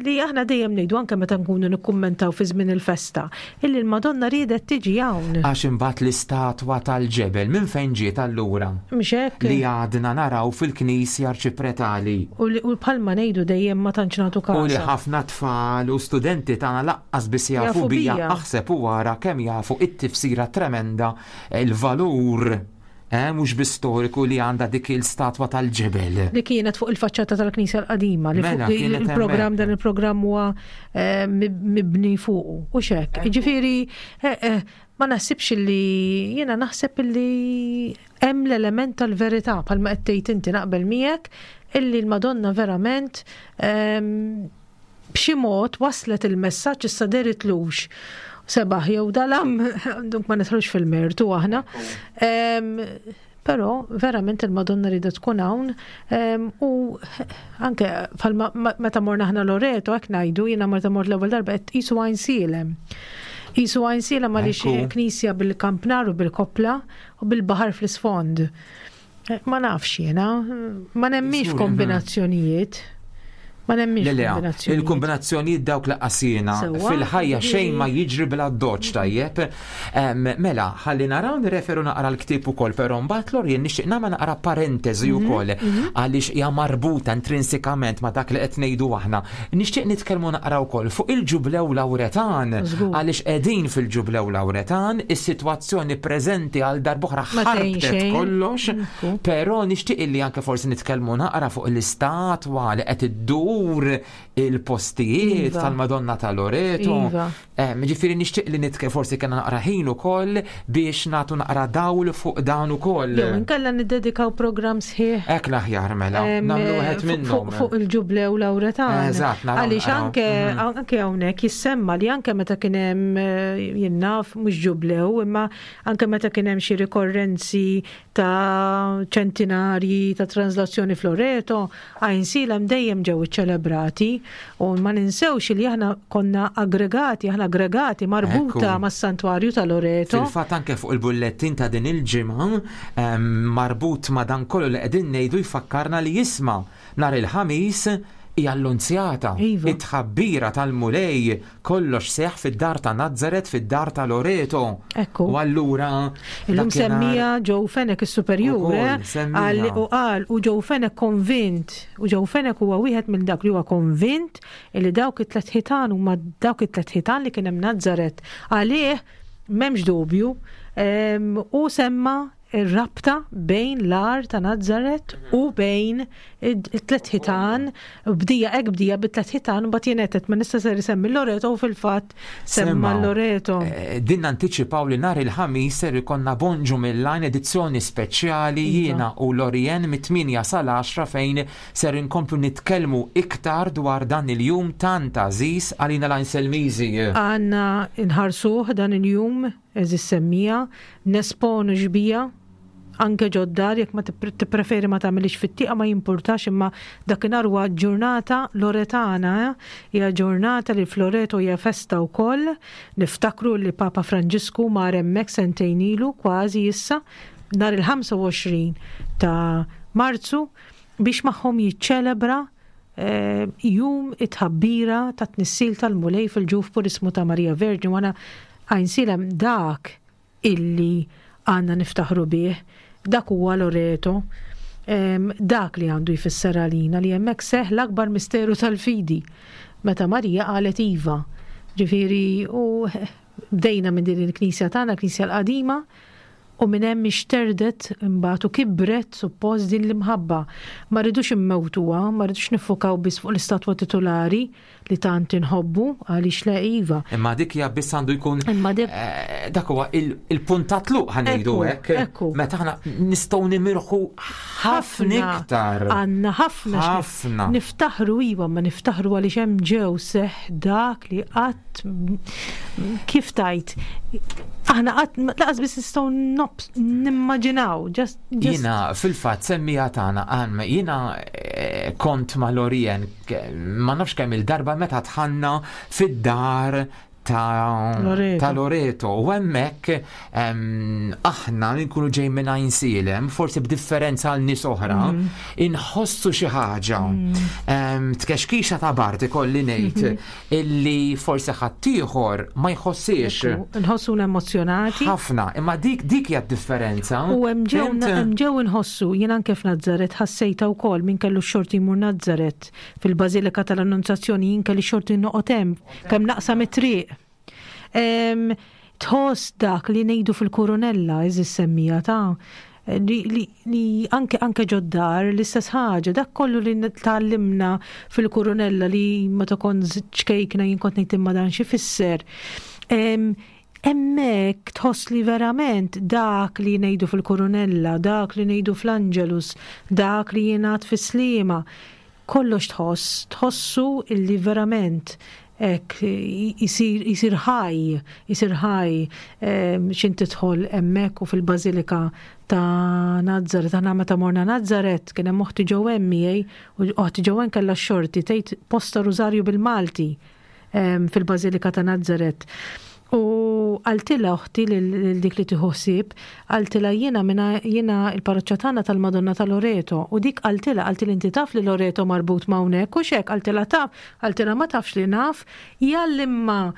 li aħna dejjem ngħidu anke meta nkunu nikkummentaw fi żmien il-festa, illi l-Madonna riedet tiġi hawn. Għax imbagħad l-istatwa tal-ġebel minn fejn ġiet allura? Mhux hekk. Li għadna naraw fil-Knisja Arċipretali. U bħalma ngħidu dejjem ma tantx nagħtu każ. U li ħafna tfal u studenti tagħna lanqas biss jafu bija aħseb u wara kemm jafu it-tifsira tremenda, il-valur eh, mhux biss storiku li għandha dik il-statwa tal-ġebel. Li kienet fuq il-faċċata tal-Knisja l-qadima, li Mela, fuq kienet il-programm hemmhekk. Dan il-programm huwa eh, mibni fuqu. U xek, ġifieri, eh, eh, ma naħsibx li jiena naħseb li hemm l-element tal-verità bħalma qed tgħid inti, naqbel miegħek illi l-Madonna verament ehm, b'xi mod waslet il-messaġġ, issa deritlux sebaħ jew dalam, dunk ma nidħlux fil-mertu aħna. Em, Però verament il-Madonna rida tkun hawn em, u anke bħalma meta morna aħna Loreto hekk ngħidu, jiena meta mort l-ewwel darba qed qisu Għajnsielem. Qisu Għajnsielem għaliex Ekku. knisja bil-kampnar u bil-koppla u bil-baħar fl-isfond. Eh, Ma nafx jiena, ma nemminx Żgur, kombinazzjonijiet. Ma nemminx Le, le, kombinazzjonijiet. il-kombinazzjonijiet dawk laqqasina Sewwa, fil-ħajja xejn ma ġifieri- jiġri bla doċ tajjeb. Em, Mela, ħalli naraw nirreferu naqra l-ktieb ukoll, però mbagħad Lorien nixtieq nagħmel naqra parentesi Mhm, ukoll għaliex hija marbuta intrinsikament ma' dak li qed ngħidu aħna. Nixtieq nitkellmu naqra wkoll fuq il-Ġublew Lawretan Żgur. għaliex qegħdin fil-Ġublew Lawretan, is-sitwazzjoni preżenti għal darb'oħra Ma tgħin ħarbtet xejn. kollox. Ekku. Però nixtieq illi anke forsi nitkellmu naqra fuq l-istatwa li qed iddur il-postijiet Iva. tal-Madonna ta' Loreto. Iva. Eh, Ġifieri nixtieq li nitke forsi kena naqra ħin ukoll biex nagħtu naqra dawl fuq dan ukoll. Jew inkella niddedikaw programm sħiħ. Hekk l-aħjar mela, Em, nagħmlu wieħed fuq- minnhom. Fuq fuq il-Ġublew Lawretan. Eżatt, naraw, Għaliex naraw. anke Mhm. anke hawnhekk jissemma li anke meta kien hemm eh, jien naf mhux ġublew, imma anke meta kien hemm xi rikorrenzi ta' ċentinarji ta' translazzjoni f'Loreto, Għajnsielem dejjem ġew iċċelebrati u ma ninsewx li aħna konna aggregati, aħna aggregati marbuta Ekku. mas-santwarju ta' Loreto. Fil-fatt anke fuq il-bullettin ta' din il-ġimgħa em, marbut ma' dan kollu li qegħdin ngħidu jfakkarna li jisma' nhar il-Ħamis hija l-Lunzjata, Iva. it-tħabbira tal-Mulej, kollox seħ fid-dar ta' Nazzaret, fid-dar ta' Loreto. Ekku. U allura Illum dakinhar- semmija Joe Fenech is-superjur, Ukoll, eh? semmija. Qal- u qal u Joe Fenech konvint, u Joe Fenech huwa wieħed minn dak li huwa konvint li dawk it-tlet ħitan huma dawk it-tlet ħitan li kien hemm Nazzaret. Għalih m'hemmx dubju em, u semma ir-rabta bejn l-għar ta' Nazzaret u bejn it-tlet ħitan, bdija hekk bdija bit-tlet ħitan u mbagħad jien ma nista' ser isemmi Loreto u fil-fatt semma Semma. Loreto. Eh, Din anticipaw li nhar il-Ħamis ser ikonna Bonġu mill-Għajn edizzjoni speċjali Iva. jiena u Lorien mit-tmienja sal-għaxra fejn ser inkomplu nitkellmu iktar dwar dan il-jum tant għażiż għalina l-Għajnselmiżi. Għandna nħarsuh dan il-jum, eżis semmija, nesponu xbieha, anke ġod-dar, jekk ma tipre- tippreferi ma tagħmilix fit-tieqa ma jimpurtax, imma dakinhar huwa ġurnata loretana, eh? Hija ġurnata li f'Loreto hija festa wkoll. Niftakru li Papa Franġisku mar hemmhekk sentejn ilu kważi issa, nhar il-ħamsa u għoxrin ta' Marzu biex magħhom jiċċelebra eh, jum it-tħabbira ta' tnissil tal-Mulej fil-ġuf purismu ta' Marija Verġni. Wana Għajnsielem dak illi għandna niftaħru bih, dak huwa Loreto, em, dak li għandu jfisser għalina li hemmhekk seħ l-akbar misteru tal-fidi meta Marija qalet iva. Ġifieri u bdejna minn din il-knisja tagħna, knisja l-qadima, U minn hemm ixterdet imbagħad u kibret suppost din l-imħabba. Ma rridux immewtuha, ma rridux niffukaw biss fuq l-istatwa titolari li tant inħobbu, għaliex le, iva. Imma dik hija biss għandu jkun Imma dik eh, dak huwa il-punt ta' tluq, ħa ngħidu Ekku, hekk. ekku. Meta aħna nistgħu nimirħu ħafna iktar. Għandna ħafna x'nif- Ħafna. Niftaħru, iva, ma niftaħru għaliex hemm ġew seħ dak li qatt, kif tajt, aħna qatt laqas biss nistgħu nobs- nimmaġinaw. Just, just Jiena fil-fatt semmija tagħna għan jiena eh, kont ma' Lorien ke- ma nafx kemm il-darba meta dħalna fid-dar ta' Loreto. ta' Loreto u hemmhekk em, aħna li nkunu ġej minn Għajnsielem, forsi b'differenza għal nies oħra, Mm. inħossu xi ħaġa. Em, tkexkixa ta' bard, ikolli ngħid, Mm-hmm. illi forsi ħaddieħor ma jħossiex. Ekku, nħossuna emozjonati. Ħafna, imma dik dik hija d-differenza. U hemm ġew Fhimt? hemm ġew inħossu, jien anke f'Nazzaret ħassejta wkoll, min kellu x-xorti jmur Nazzaret fil-Bażilika tal-Annunzjazzjoni, jien kelli xorti noqgħod hemm kemm naqsam it-triq. Em, Tħoss dak li ngħidu fil-Kurunella, eżis semmija ta' li, li, li anke anke ġod-dar l-istess ħaġa, dak kollu li tgħallimna fil-Kurunella li meta kont ċkejkna jien kont ngħid, "Imma dan xi fisser?" Em, Hemmhekk tħoss li verament dak li ngħidu fil-Kurunella, dak li ngħidu fl-Angelus, dak li jingħad fis-Sliema, kollox tħoss, tħossu illi verament hekk jisir, jisir ħaj, jisir ħaj em, xin tidħol hemmhekk u fil-Bażilika ta' Nazzaret. Aħna meta morna Nazzaret, kien hemm oħti Joanne miegħi, u oħti Joanne kellha x-xorti tgħid posta rużarju bil-Malti em, fil-Bażilika ta' Nazzaret. U qaltilha oħti lil lil dik li tieħu ħsieb, qaltilha jiena minna jiena il-parroċċa tagħna tal-Madonna ta' Loreto. U dik qaltilha, qaltilha, "Inti taf li Loreto marbut ma' hawnhekk u xek?" Qaltilha, "Taf," qaltilha, "Ma tafx li naf, jallimma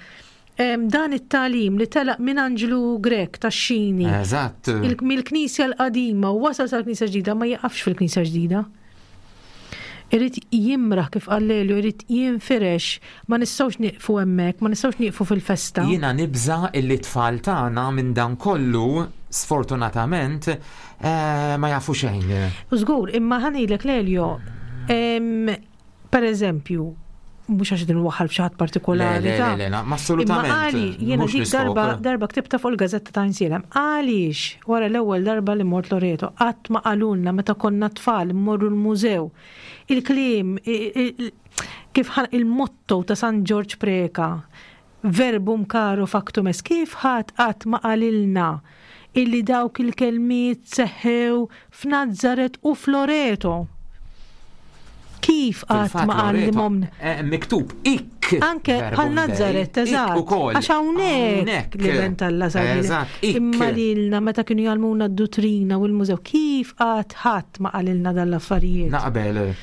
em, dan it-tagħlim li telaq minn Anġlu Grech tax-Xini Eżatt. il- mill-Knisja l-qadima u wasal sal-Knisja ġdida, ma jaqafx fil-Knisja ġdida. Irid jimraħ, kif qallelu, irid jinfirex, ma nistgħux nieqfu hemmhekk, ma nistgħux nieqfu fil-festa." Jiena nibża illi tfal tagħna minn dan kollu, sfortunatament, eh, ma jafu xejn. U żgur, imma ħa ngħidlek, Lelio, em, per eżempju, mhux għax din waħal f'xi ħadd partikolari. Le, le, ta' le, le, ma Imma assolutament. għali, jiena mhux dik l-iskop. darba, darba ktibta fuq il-gazzetta ta' Għajnsielem, għaliex wara l-ewwel darba li mort Loreto, qatt ma qalulna meta konna tfal mmorru l-mużew? Il-kliem, i- i- kif ħan- il-motto ta' San Ġorġ Preka, "Verbum caro factum est", kif ħadd qatt ma qalilna illi dawk il-kelmiet seħħew f'Nazzaret u f'Loreto? Kif qatt Fil-fatt ma Loreto, għallimhom? eh, Miktub ik. Anke verbum bħal Nazzaret, Dei, ik eżatt. ukoll. Għax hawnhekk Hawnhekk. li bent Alla sar. Eżatt, ik. Imma lilna meta kienu jgħallmuna d-duttrina u l-mużew, kif qatt ħadd ma qalilna dal-affarijiet? Naqbel.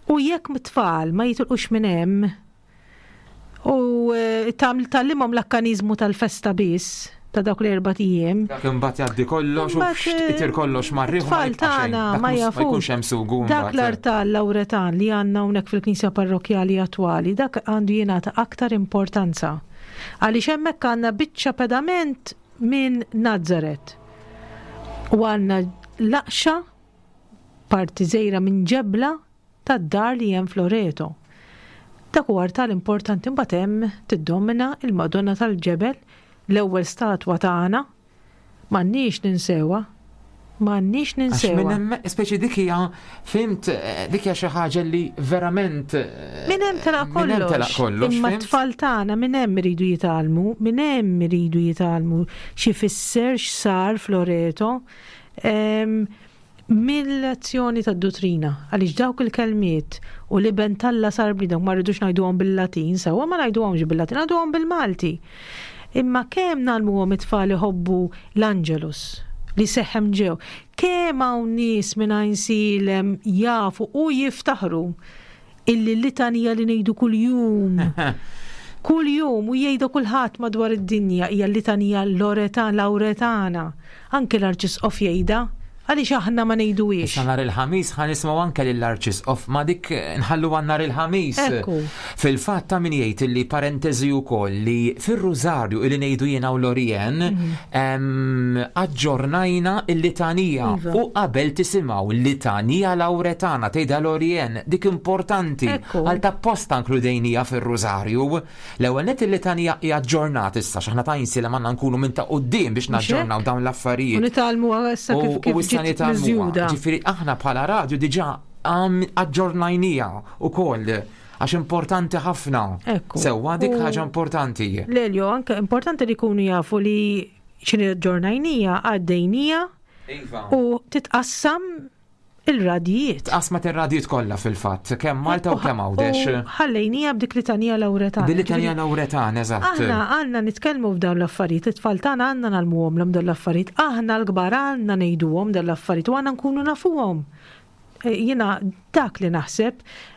U jekk mit-tfal ma jitilqux minn hemm u eh, tam tgħallimhom l-akkanizmu tal-festa biss ta' dawk l-erba' ijiem. Dak imbagħad jgħaddi kollox u Imbagħad, fxt, itir kollox mar-riħ u ma Tfal jibqa' xejn. tagħna Dak ma mhux- jafux. Ma jkunx hemm sugu Dak mbagħad. l-artal Lawretan li għandna hawnhekk fil-Knisja Parrokjali attwali, dak għandu jingħata aktar importanza. Għaliex hemmhekk għandna biċċa pedament minn Nazzaret. U għandna laqxa, parti żgħira minn ġebla tad-dar li hemm f'Loreto. Dak huwa artal importanti. Imbagħad hemm tiddomina il-Madonna tal-Ġebel, l-ewwel statwa tagħna. M'għandniex ninsewha. M'għandniex Għax minn ninsewha. hemm, speċi dik hija, fhimt, eh, dik hija xi ħaġa li verament eh, Minn hemm telaq Minn hemm telaq kollox. kollox. Imma fhimt? t-tfal tagħna minn hemm iridu jitgħallmu, minn hemm iridu jitgħallmu xi fisser x'sar f'Loreto. Em, Mill-lezzjoni tad-duttrina, għaliex dawk il-kelmiet u li ben t'Alla sar bniedem ma rridux ngħiduhom bil-Latin, sewwa, ma ngħiduhomx bil-Latin, ngħiduhom bil-Malti. Imma kemm ngħallmuhom it-tfal iħobbu l-Angelus li seħħem ġew? Kemm hawn nies minn Għajnsielem jafu u jiftaħru illi l-litanija li ngħidu kuljum, kuljum u jgħidu kulħadd madwar id-dinja, hija l-litanija Loretan, Lawretana. Anke l-Arċisqof jgħidha. Għaliex aħna ma ngħiduhiex? Issa nhar il-Ħamis ħa nisimgħu anke lill-Arċisqof, ma dik nħallu għal nhar il-Ħamis. Ekku. Fil-fatt ta' min jgħid li parentesi wkoll li fir-Rużarju illi ngħidu jiena u Lorien Mhm. em, aġġornajna il-litanija Iva. u qabel tisimgħu l-litanija Lawretana tgħidha Lorien, dik importanti Ekku. għal ta' posta inkludejnija fir-Rużarju. L-ewwel nett il-litanija hija aġġornat issa x'aħna ta' li għandna nkunu minn ta' quddiem biex Mhux hekk? naġġornaw dawn l-affarijiet. U nitgħallmu issa kif U- kif u issa ġiet nitgħallmuha. miżjuda. Ġifieri aħna bħala radju diġà għam- aġġornajnija ukoll għax importanti ħafna. Ekku. Sewwa dik U- ħaġa importanti. Lelio, anke importanti li jkunu jafu li xini aġġornajnija, għaddejnija Iva. u titqassam il-radijiet. Tqasmat ir-radjiet kollha fil-fatt, kemm Malta u kemm Għawdex. U ħallejnija b'dik litanija Lawretana. Bil-Litanija Lawretana, eżatt. Aħna għandna nitkellmu f'dawn l-affarijiet, it-tfal tagħna għandna ngħallmuhom l dawn l-affarijiet, aħna l-kbar għandna ngħiduhom dawn l-affarijiet u għandna nkunu nafuhom. Eh, Jiena dak li naħseb,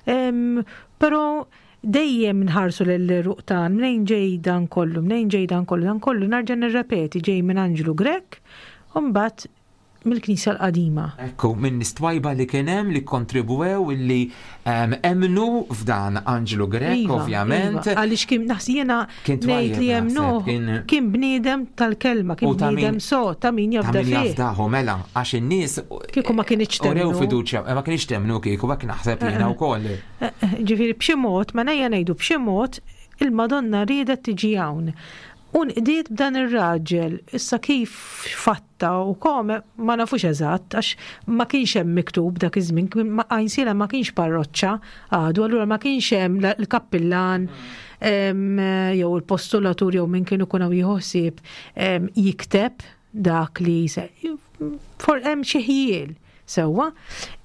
em, però dejjem nħarsu l-ruq tagħna, mnejn ġej dan kollu, mnejn ġej dan kollu, dan kollu narġa' nirrepeti ġej minn Anġlu Grech, u mbagħad mill-Knisja l-qadima. Ekku, minn nies twajba li kien hemm li kontribwew li em, emnu f'dan Anġlu Grech, Iva, ovvjament. iva. Għaliex kien naħseb jiena Kien ngħid li twajjeb hemm naħseb, nuh, kien- kien bniedem tal-kelma, kien U ta' min- bniedem so, ta' min Ta' jafda min fih. jafdahu, mela, għax in-nies Kieku ma kinitx urew temmnu. fiduċja, eh, ma kienx temmnu kieku, hekk naħseb jiena wkoll. Eh, eh, Ġifieri b'xi mod, ma nejja ngħidu b'xi mod, il-Madonna riedet tiġi hawn. U nqdiet b'dan ir-raġel, issa kif fatta u kome ma nafux eżatt, għax ma kienx hemm miktub dak iż-żmien, kien- ma- Għajnsielem ma kienx parroċċa għadu, allura ma kienx hemm la- l-kappillan em, jew il-postulatur jew min kienu kun hawn jieħu ħsieb em, jikteb dak li se for hemm xi ħjiel sewwa,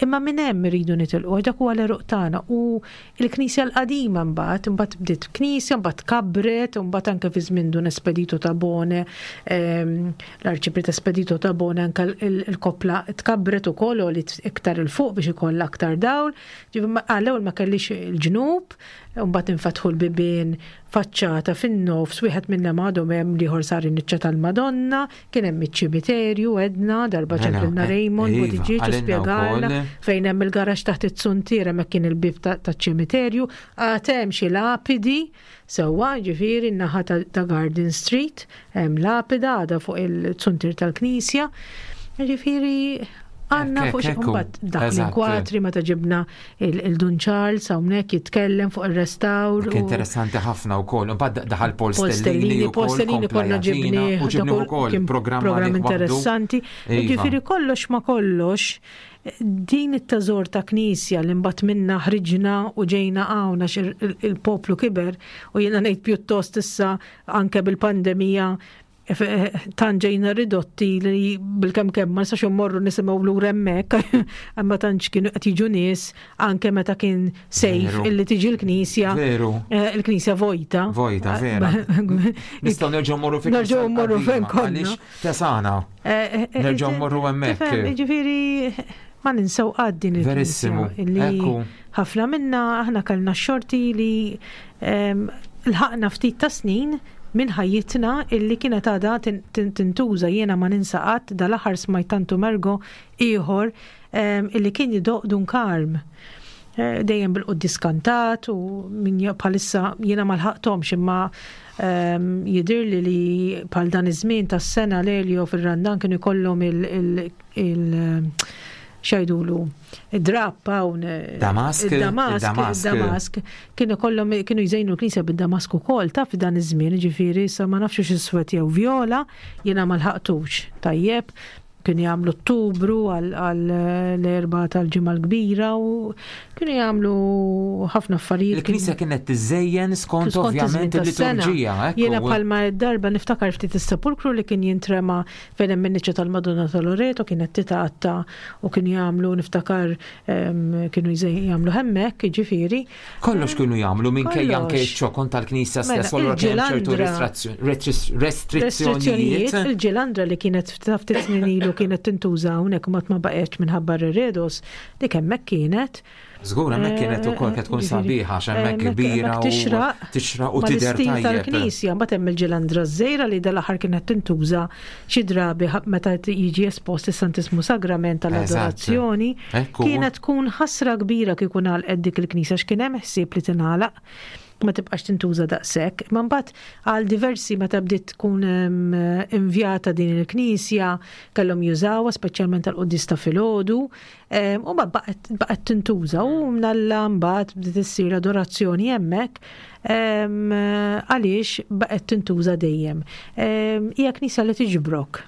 imma minn hemm iridu nitilqu għax dak huwa l-eruq tagħna u l-Knisja l-qadima mbagħad, imbagħad bdiet knisja, mbagħad kabret, mbagħad anke fi żmien Dun Espedito Tabone, ehm, l-Arċipriet Espedito Tabone anke l- il-koppla tkabret ukoll u li iktar 'il fuq biex ikollha aktar dawl. Ġifieri ma- għall-ewwel ma kellix il-ġnub, mbagħad infetħu l-bibien faċċata fin-nofs, wieħed minnhom għadhom hemm l-ieħor sar in-niċċa tal-Madonna, kien hemm iċ-ċimiterju għedna darba Mela, ċemplilna eh, Raymond iva, Buttigieg u għalinna spjegalna wkoll. fejn hemm il-garaxx taħt it-suntier hemmhekk kien il-bib ta- taċ-ċimiterju, għad hemm xi lapidi sewwa ġifieri n-naħa ta' ta' Garden Street, hemm lapida għadha fuq il-suntier tal-Knisja. Ġifieri għandna Ekk, fuq xi ekk, ekku. mbagħad dak Eżatt. l-inkwatri meta ġibna il- il-Dun Charles hawnhekk jitkellem fuq ir-restawr. Dik u- interessanti ħafna wkoll. Imbagħad daħal Paul Paul Stellini Stellini, Paul wkoll Stellini kompla konna jagħtina ġibni, u ġibni wkoll kien programm program għalih waħdu. interessanti. Iva. Ġifieri kollox ma kollox, din it-teżor ta' knisja li mbagħad minna ħriġna u ġejna hawn għax il- il- il-poplu kiber u jiena ngħid pjuttost issa anke bil-pandemija tant ġejna ridotti li bil-kemm kemm ma nistax immorru nisimgħu lura hemmhekk, imma tantx kienu qed jiġu nies anke meta kien safe Veru. illi tiġi l-knisja. Veru. eh, Il-knisja vojta. Vojta, vera. Nistgħu nerġgħu mmorru fi Nerġgħu mmorru fejn konna. Għaliex tesana. Eh, eh, Nerġgħu eh, mmorru hemmhekk. tifhem, Ġifieri ma ninsew qatt din il-knisja. Verissimu. Illi Ekku. ħafna minna aħna kellna x-xorti li em, lħaqna ftit ta' snin minn ħajjitna illi kienet għadha tin- tin- tintuża jiena ma ninsa qatt dal-aħħar smajt Tantu Mergo ieħor em, illi kien jidoq Dun Karm. Eh, dejjem bil-quddis kantat u min ja- bħalissa jiena ma lħaqthomx imma em, jidirli li bħal dan iż-żmien tas-sena Lelio fir-Randan kienu jkollhom il- il- il- xajdulu id-drap hawn eh, Damask, id-Damask, id-Damask. id-Damask kienu kollhom kienu jżejnu l-knisja bid-Damask ukoll taf dan iż-żmien, ġifieri sa ma nafx xi swed jew vjola, jiena ma lħaqtux. Tajjeb, kienu jagħmlu Ottubru għal l-erba tal-ġimgħa l-kbira u kienu jagħmlu ħafna affarijiet. Il-knisja kienet tiżejjen skont Skont ovvjament iż-żmien tas-sena. il-liturġija. ekku. Jiena bħalma darba niftakar ftit is-sepulkru li kien jintrema fejn hemm in-niċċa tal-Madonna ta' Loreto kienet titgħatta u kienu jagħmlu niftakar em, kienu jżej- jagħmlu hemmhekk, jiġifieri. Kollox kienu jagħmlu minkejja anke Kollox. ċ-ċokon tal-knisja Mela, stess, allura kien hemm ċertu il-ġilandra- restrizzjoni- restrizzjonijiet. Il-ġilandra li kienet ta' ftit snin ilu kienet tintuża hawnhekk u ma ma baqgħetx minħabba r-redos, dik hemmhekk kienet. Żgur, hemmhekk kienet ukoll kienet tkun sabiħa għax hemmhekk kbira u tixraq tixraq u tidher tajjeb. Tal-knisja, mbagħad hemm il-ġilandra żgħira li dal-aħħar kienet tintuża xi drabi meta jiġi espost is-Santismu Sagrament tal-adorazzjoni. Kienet tkun ħasra kbira kieku ngħalqet dik il-knisja x'kien hemm ħsieb li tingħalaq, ma tibqax tintuża daqshekk. Ma mbagħad għal diversi meta bdiet tkun invjata din il-knisja kellhom jużawha speċjalment tal-quddies ta' filgħodu, u ma baqgħet tintuża u mnalla mbagħad bdiet issir adorazzjoni hemmhekk għaliex baqgħet tintuża dejjem. Hija knisja li tiġbrok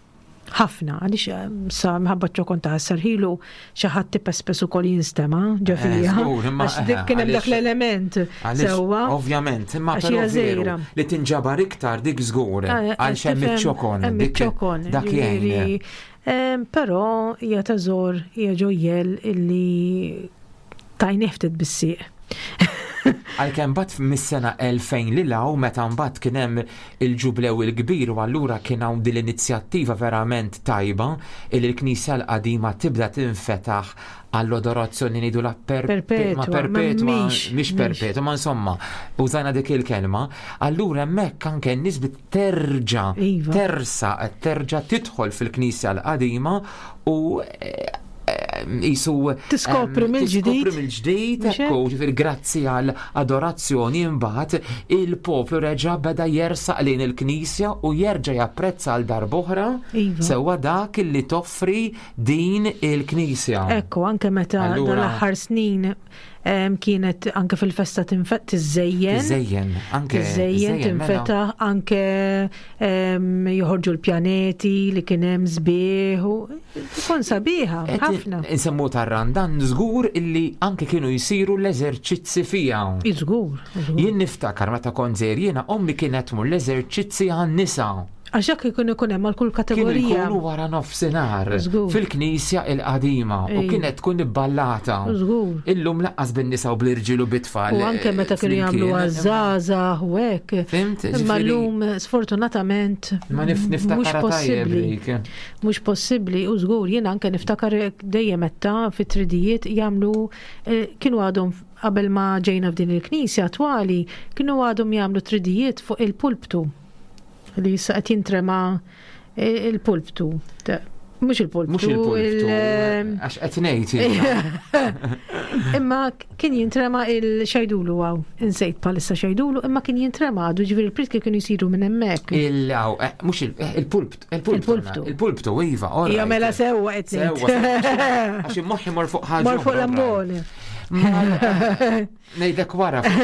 ħafna, għaliex sa mħabba ċokon ta' sarħilu xi ħadd tipespes ukoll jinstema' ġo fija. Għax dik kien hemm dak l-element. Sewwa. Ovvjament, imma però veru li tinġabar iktar dik żgur għal hemm iċ-ċokon. Dik dak jgħin. Però hija teżor, hija ġojjel illi tajnieh ftit bis-sieq. Għalkemm mbagħad mis-sena elfejn lil hawn meta mbagħad kien hemm il-ġublew il-kbir u allura kien hawn din l-inizjattiva verament tajba li l-Knisja l-qadima tibda tinfetaħ għall-adorazzjoni ngħidu la perpetwa, perpetwa, mhix perpetwa, ma insomma, użajna dik il-kelma, allura hemmhekk anke n-nies terġa' tersa, terġa' tidħol fil-Knisja l-qadima u jisu tiskopri mill-ġdid. Tiskopri mill-ġdid, ekku, ġifieri grazzi għal adorazzjoni imbagħad il-poplu reġa' beda jersaq lejn il-Knisja u jerġa' japprezza għal darb'oħra sewwa dak li toffri din il-Knisja. Ekku, anke meta dal-aħħar snin kienet anke fil-festa tinfet tiżejjen. Tiżejjen, anke. Tiżejjen, tinfetaħ, anke joħorġu l-pjaneti li kien hemm sbieħ u tkun sabiħa ħafna. Insemmu tar-Randan żgur illi anke kienu jsiru l-eżerċizzi fiha. Żgur. Jien niftakar meta kont żgħir jiena ommi kienet tmur l-eżerċizzi għan-nisa. Għax hekk ikun ikun hemm għal kull kategorija. Kienu jkunu wara nofsinhar fil-knisja il-qadima u kienet tkun ibballata. Illum laqqas bin-nisa u bl-irġiel u bit-tfal. U anke meta kienu jagħmlu għażgħażagħ u hekk. Fimt? Imma llum sfortunatament ma niftakar possibbli. Mhux possibbli u żgur jien anke niftakar dejjem meta fit-tridijiet jagħmlu kienu għadhom qabel ma ġejna f'din il-knisja attwali kienu għadhom jagħmlu tridijiet fuq il-pulptu. Li issa qed jintrema il-pulptu. Mhux il-pulptu. Mhux il-pulptu. Għax qed ngħid. Imma kien jintrema il-xajdulu għaw. Insejt palissa xajdulu, imma kien jintrema għadu ġifieri il-pritki kienu jsiru minn hemmhekk. Il mhux il-pulptu. Il-pulptu. Il-pulptu, iva. Hija mela sewwa qed ngħid. Għax immoħħi mor fuq ħaġa. Mor fuq l-ambone. Ngħidlek wara fuq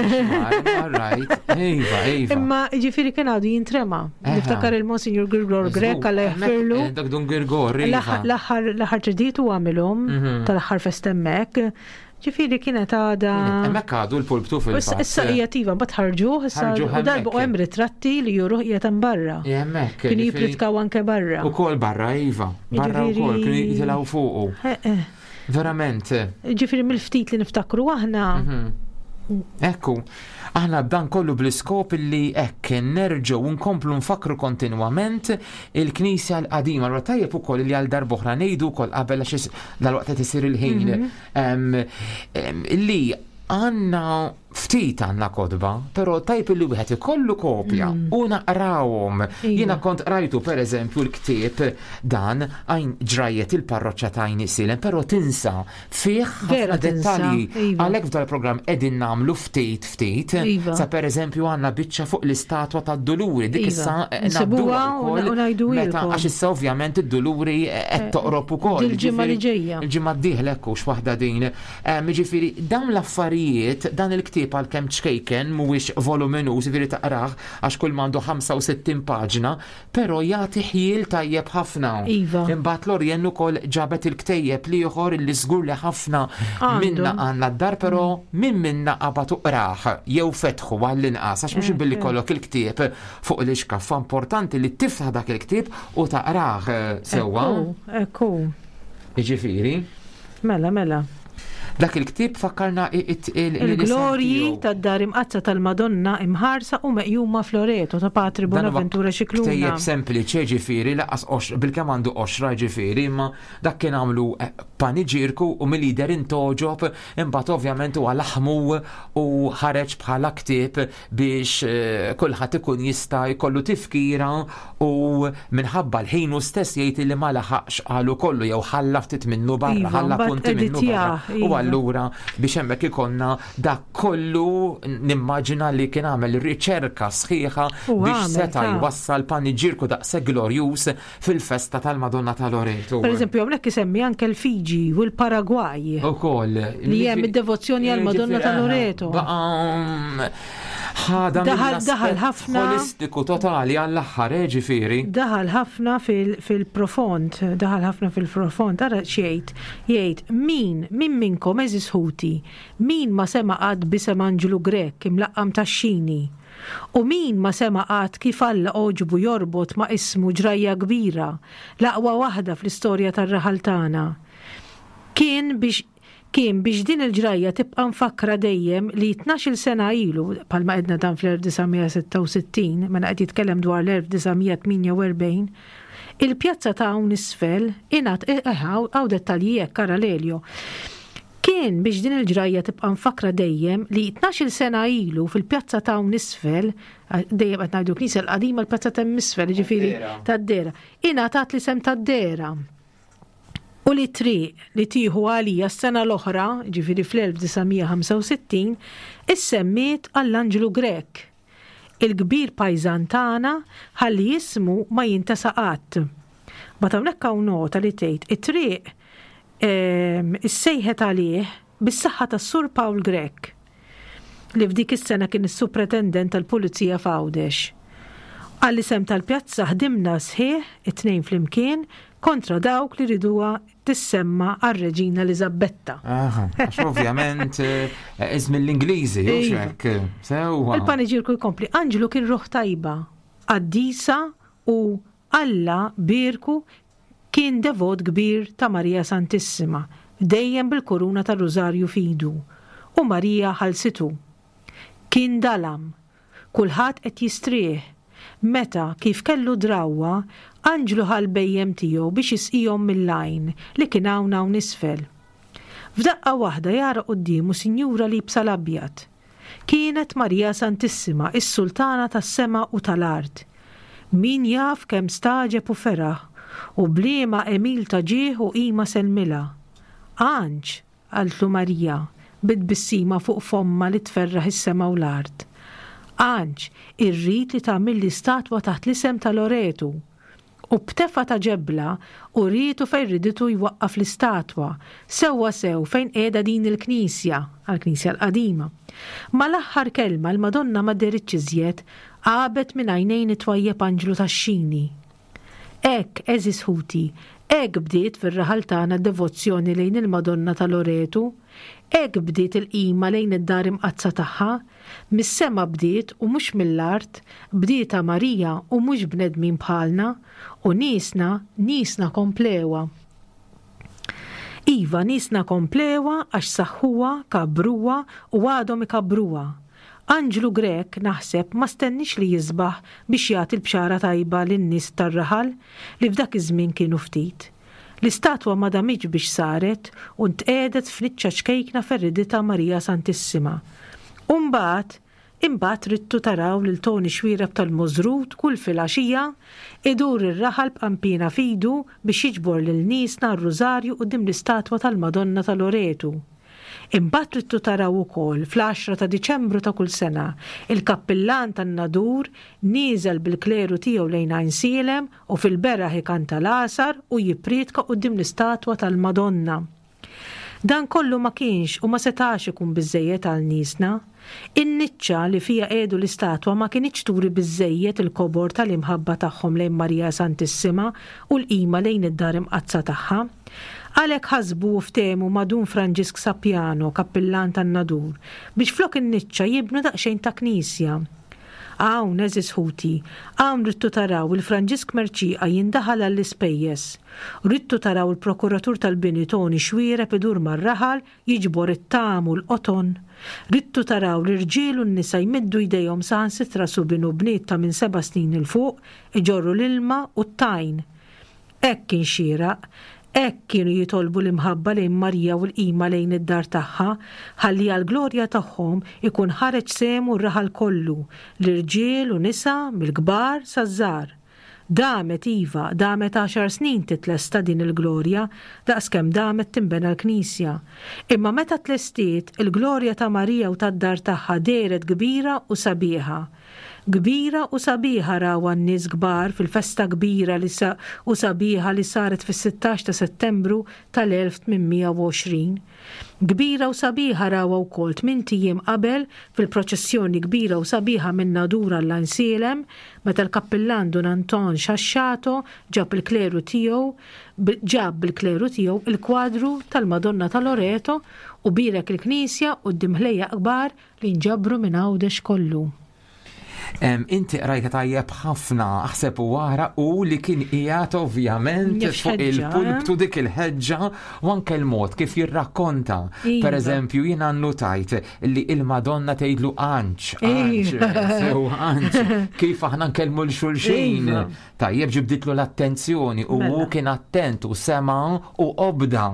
all right. Iva, iva. Imma ġifieri kien għadu jintrema. Niftakar il-Monsignor Girgor Grek għalla jaħfirlu. Dak Dun Girgor, iva. L-aħħar ġdid u għamilhom tal-aħħar fest hemmhekk. Ġifieri kienet għada. Hemmhekk għadu l-pulptu fil-fatt. Issa hija tiva mbagħad ħarġuh, issa u darba u hemm ritratti li juruh qiegħed hemm barra. Hemmhekk. Kienu jippritkaw anke barra. Ukoll barra, iva. Barra wkoll kienu jitilgħu fuqu. Verament. Ġifieri mill-ftit li niftakru aħna. Ekku, aħna b'dan kollu bl-iskop li hekk nerġgħu nkomplu nfakru kontinwament il-Knisja l-qadima. Allura tajjeb ukoll li għal darb'oħra ngħidu wkoll qabel għax dal-waqt qed isir il-ħin li għandna ftit għandna kotba, però tajb li wieħed ikollu kopja u naqrawhom. Jiena kont qrajtu pereżempju l-ktieb dan għajn ġrajiet il-parroċċa ta' Għajn Isielen, però tinsa fih ħafna dettalji. Għalhekk f'dan il-programm qegħdin nagħmlu ftit ftit. Sa pereżempju għandna biċċa fuq l-istatwa tad-Duluri, dik issa nsibuha u ngħidu meta għax issa ovvjament id-Duluri qed toqrob ukoll. Il-ġimgħa li ġejja. Il-ġimgħa d-dieħla hekk hux waħda din. Jiġifieri dawn l-affarijiet, dan il-ktieb għalkemm ċkejken mhuwiex voluminuż, jiġifieri taqrah għax kull m'għandu ħamsa u sittin paġna, però jagħti ħjiel tajjeb ħafna. Imbagħad Lorien ukoll ġabet il-ktejjeb l-ieħor li żgur li ħafna minna għandna d-dar, però min minna qabad uqrah jew fetħu għall-inqas għax mhux billi kollok il-ktieb fuq l-ixkaffa, importanti li tiftaħ dak il-ktieb u taqrah sewwa. Ekku. Jiġifieri. Mela, mela. Dak il-ktieb fakkarna Il-Glorji tad-Dar Imqaddsa tal-Madonna imħarsa u meqjuma f'Loreto ta' Patri Bonaventura Scicluna. Ktejjeb sempliċi, ġifieri, laqas bilkemm għandu qoxra ġifieri, imma dak kien għamlu eh, paniġirku u mill-lider intogħġob, imbagħad ovvjament huwa laħmu u ħareġ bħala ktieb biex eh, kulħadd ikun jista' jkollu tifkira u minħabba l-ħin hu stess jgħid li ma laħaqx qalu kollu jew ħalla ftit minnu barra, Iva, ħalla mbagħad punti minnu editjah, barra. U iva. allura biex hemmhekk ikonna dak kollu nimmaġina li kien għamel riċerka sħiħa U biex għamel, seta' ta' jwassal paniġirku daqshekk glorjuż fil-festa tal-Madonna ta' Loreto. Per eżempju, hawnhekk isemmi anke l-Fiji u l-Paragwaj. Ukoll. Li hemm id-devozzjoni għall-Madonna ta' Loreto. Baqa ħada Daħal- mill-aspett daħal ħafna- holistiku totali għall-aħħar, eh, ġifieri. Daħal ħafna fil- fil-profond, daħal ħafna fil-profond, ara xejt, jgħid, min, min minkom għeżież ħuti, min ma sema qatt b'isem Anġlu Grech imlaqqam Tax-Xini, u min ma sema qatt kif Alla għoġbu jorbot ma ismu ġrajja kbira, l-aqwa waħda fl-istorja tar-raħal tagħna. Kien biex kien biex din il-ġrajja tibqa' mfakkra dejjem li tnax-il sena ilu, bħalma għedna dan fl-elf disa' mija sitta u sittin, mela qed jitkellem dwar l-elf disa' mija tmienja u erbgħin, il-pjazza ta' hawn isfel ingħat eh, eh, hawn dettalji hekk Lelio. Kien biex din il-ġrajja tibqa' mfakkra dejjem li tnax-il sena ilu fil-pjazza ta' hawn isfel, dejjem qed ngħidu knisja l-qadima, l-pjazza ta' isfel, ġifieri tad-Dera, ingħatat l-isem tad-Dera. U li triq li tieħu għalija s-sena l-oħra, ġifieri fl-elf disa' mija ħamsa u sittin, issemmiet għall-Anġlu Grech, il-kbir pajżan tagħna, ħalli jismu ma jintesa qatt. But hawnhekk hawn nota li tgħid it-triq ehm, issejħet għalih bis-saħħa tas-Sur Paul Grech li f'dik is-sena kien is-supretendent tal-Pulizija f'Għawdex. Għall-isem tal-pjazza ħdimna sħiħ it-tnejn flimkien kontra dawk li riduha tissemma għar-Reġina Eliżabetta. Aha, għax ovvjament eh, iżmi l-Ingliżi, u Iva. hekk. Sewwa. Il-paniġirku jkompli, Anġlu kien ruħ tajba, qaddisa u Alla bierku, kien devot kbir ta' Marija Santissima, dejjem bil-kuruna ta' Rużarju f'idu, u Marija ħalsitu. Kien dalam, kulħadd qed jistrieħ, meta kif kellu drawwa, Anġlu ħa l-bhejjem tiegħu biex jisqihom mill-għajn li kien hawn hawn isfel. F'daqqa waħda jara quddiemu sinjura liebsa l-abjad. Kienet Marija Santissima, is-sultana tas-sema u tal-art. Min jaf kemm stagħġeb u feraħ u b'liema għemil ta' ġieħ u qima sellmilha. "Anġ," qaltlu Marija, bit-tbissima fuq fomma li tferraħ is-sema u l-art. "Anġ, irrid li tagħmilli statwa taħt l-isem ta' Loretu." U b'tefa ta' ġebla urietu fejn riditu jwaqqaf l-istatwa, sewwa sew fejn qiegħda din il-knisja, għall-knisja l-qadima. Mal-aħħar kelma l-Madonna ma dehritx iżjed, għabet minn għajnejn it-twajjeb Anġlu Tax-Xini. Hekk, għeżież ħuti, hekk bdiet fir-raħal tagħna devozzjoni lejn il-Madonna ta' Loretu, hekk bdiet il-qima lejn id-dar imqaddsa tagħha, mis-sema bdiet u mhux mill-art, bdietha Marija u mhux bnedmin bħalna, u niesna, niesna komplewha. Iva, niesna komplewha għax saħħuha, kabbruha u għadhom ikabbruha. Anġlu Grech, naħseb, ma stenniex li jisbaħ biex jagħti l-bxara tajba lin-nies tar-raħal li f'dak iż-żmien kienu ftit. L-istatwa ma damitx biex saret u ntqiegħdet f'niċċa ċkejkna fejn riditha Marija Santissima. U mbagħad, imbagħad ridtu taraw lil Tony Xuereb tal-Możrut kull filgħaxija idur ir-raħal b'qampina f'idu biex jiġbor lil niesna r-rużarju quddiem l-istatwa tal-Madonna ta' Loretu. Imbagħad ridtu taraw ukoll fl-għaxra ta' Diċembru ta' kull sena il-kappillan tan-Nadur nieżel bil-kleru tiegħu lejn Għajnsielem u fil-beraħ ikanta l-għasar u jippriedka quddiem l-istatwa tal-Madonna. Dan kollu ma kienx u ma setax ikun biżejjed għal niesna. In-niċċa li fija qiegħdu l-istatwa ma kinitx turi biżejjed il-kobor tal-imħabba tagħhom lejn Marija Santissima u l-qima lejn id-dar imqaddsa tagħha. Għalhekk ħasbu u ftehmu ma' Dun Franġisk Sapiano, kappillan tan-Nadur, biex flok in-niċċa jibnu daqsxejn ta' knisja. Hawn, għeżież ħuti, hawn ridtu taraw il-Franġisk Mercieca jindaħal għall-ispejjeż. Ridtu taraw il-prokuratur tal-bini Toni Xuereb idur mar-raħal jiġbor it-tam u l-qoton. Ridtu taraw l-irġiel u n-nisa jmiddu jdejhom saħansitra subien u bniet ta' minn seba' snin 'il fuq iġorru l-ilma u t-tajn. Hekk kien xieraq, hekk kienu jitolbu l-imħabba lejn Marija u l-qima lejn id-dar tagħha, ħalli għall-glorja tagħhom ikun ħareġ sehmu r-raħal kollu, l-irġiel u nisa mill-kbar saż-żgħar. Damet iva, damet għaxar snin titlesta din il-glorja, daqskemm damet tinbena l-knisja. Imma meta tlestiet, il-glorja ta' Marija u tad-dar tagħha dehret kbira u sabiħa. Kbira u sabiħa rawha n-nies kbar fil-festa kbira li sa u sabiħa li saret fis-sittax ta' Settembru tal-elf tmien mija u għoxrin. Kbira u sabiħa rawha wkoll tmint ijiem qabel fil-proċessjoni kbira u sabiħa minn Nadur għall-Għajnsielem, meta l-kappillan Dun Anton Xaxxato ġab il-kleru tiegħu, ġab bil-kleru tiegħu il-kwadru tal-Madonna ta' Loreto u birek il-knisja quddiem ħlejjaq kbar li nġabru minn Għawdex kollu. Em, inti qrajta tajjeb ħafna, aħseb u wara u li kien qiegħed ovvjament Jaf fuq ħeġġa, il-pulptu eh? Dik il-ħeġġa u anke l-mod kif jirrakkonta. Iva. Per eżempju, jiena annotajt li il-Madonna tgħidlu anċ, anċ, Iva. sew anċ, kif aħna nkellmu 'l xulxin. Iva. Tajjeb ġibditlu l-attenzjoni u hu Mela. kien attent u sema u obda.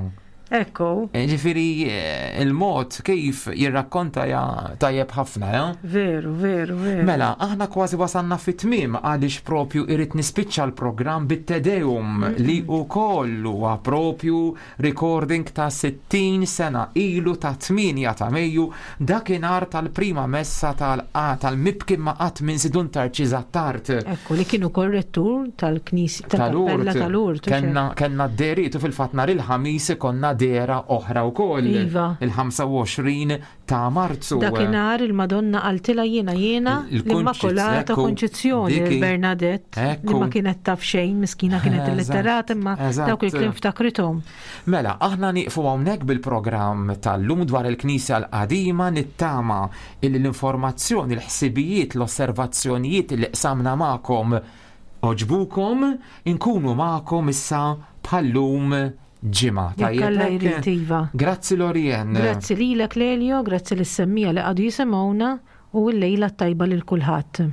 Ekku. E, Ġifieri, eh, il-mod kif jirrakkonta ja tajjeb ħafna, ja? Veru, veru, veru. Mela, aħna kważi wasanna fit-tmiem għaliex propju irrid nispiċċa l-programm bit-Te Deum li wkoll huwa propju recording ta' sittin sena ilu ta' tmienja ta' Mejju, dakinhar tal-prima messa tal- tal-mibki ma qatt minn Dun Tarċis Attard. Ekku, li kienu korrettur tal-knisja, tal-kappella tal-Urt. Kenna, kenna d-deritu fil-fatt nhar il-Ħamis konna dera oħra wkoll. Iva. Il-ħamsa u għoxrin ta' Marzu. Dakinhar il-Madonna qaltilha jiena jiena Il-Kunċiz, l-Immakulata ekku, Konċizzjoni diki. Bernadette li Ekku. ma kienet taf xejn, miskina kienet Eżatt, illitterata imma eżatt. dawk il-kliem ftakrithom. Mela, aħna nieqfu hawnhekk bil-programm tal-lum dwar il-Knisja l-qadima. Nittama illi l-informazzjoni, l-ħsibijiet, l-osservazzjonijiet li qsamna magħkom għoġbukom, inkunu magħkom issa bħallum ġimgħa. Jekk Alla Tajjeb jrid, hekk? iva. Grazzi, Lorien. Grazzi lilek, Lelio, grazzi lis-semmiegħa li qagħdu jisimgħuna u l-lejla tajba lil kulħadd.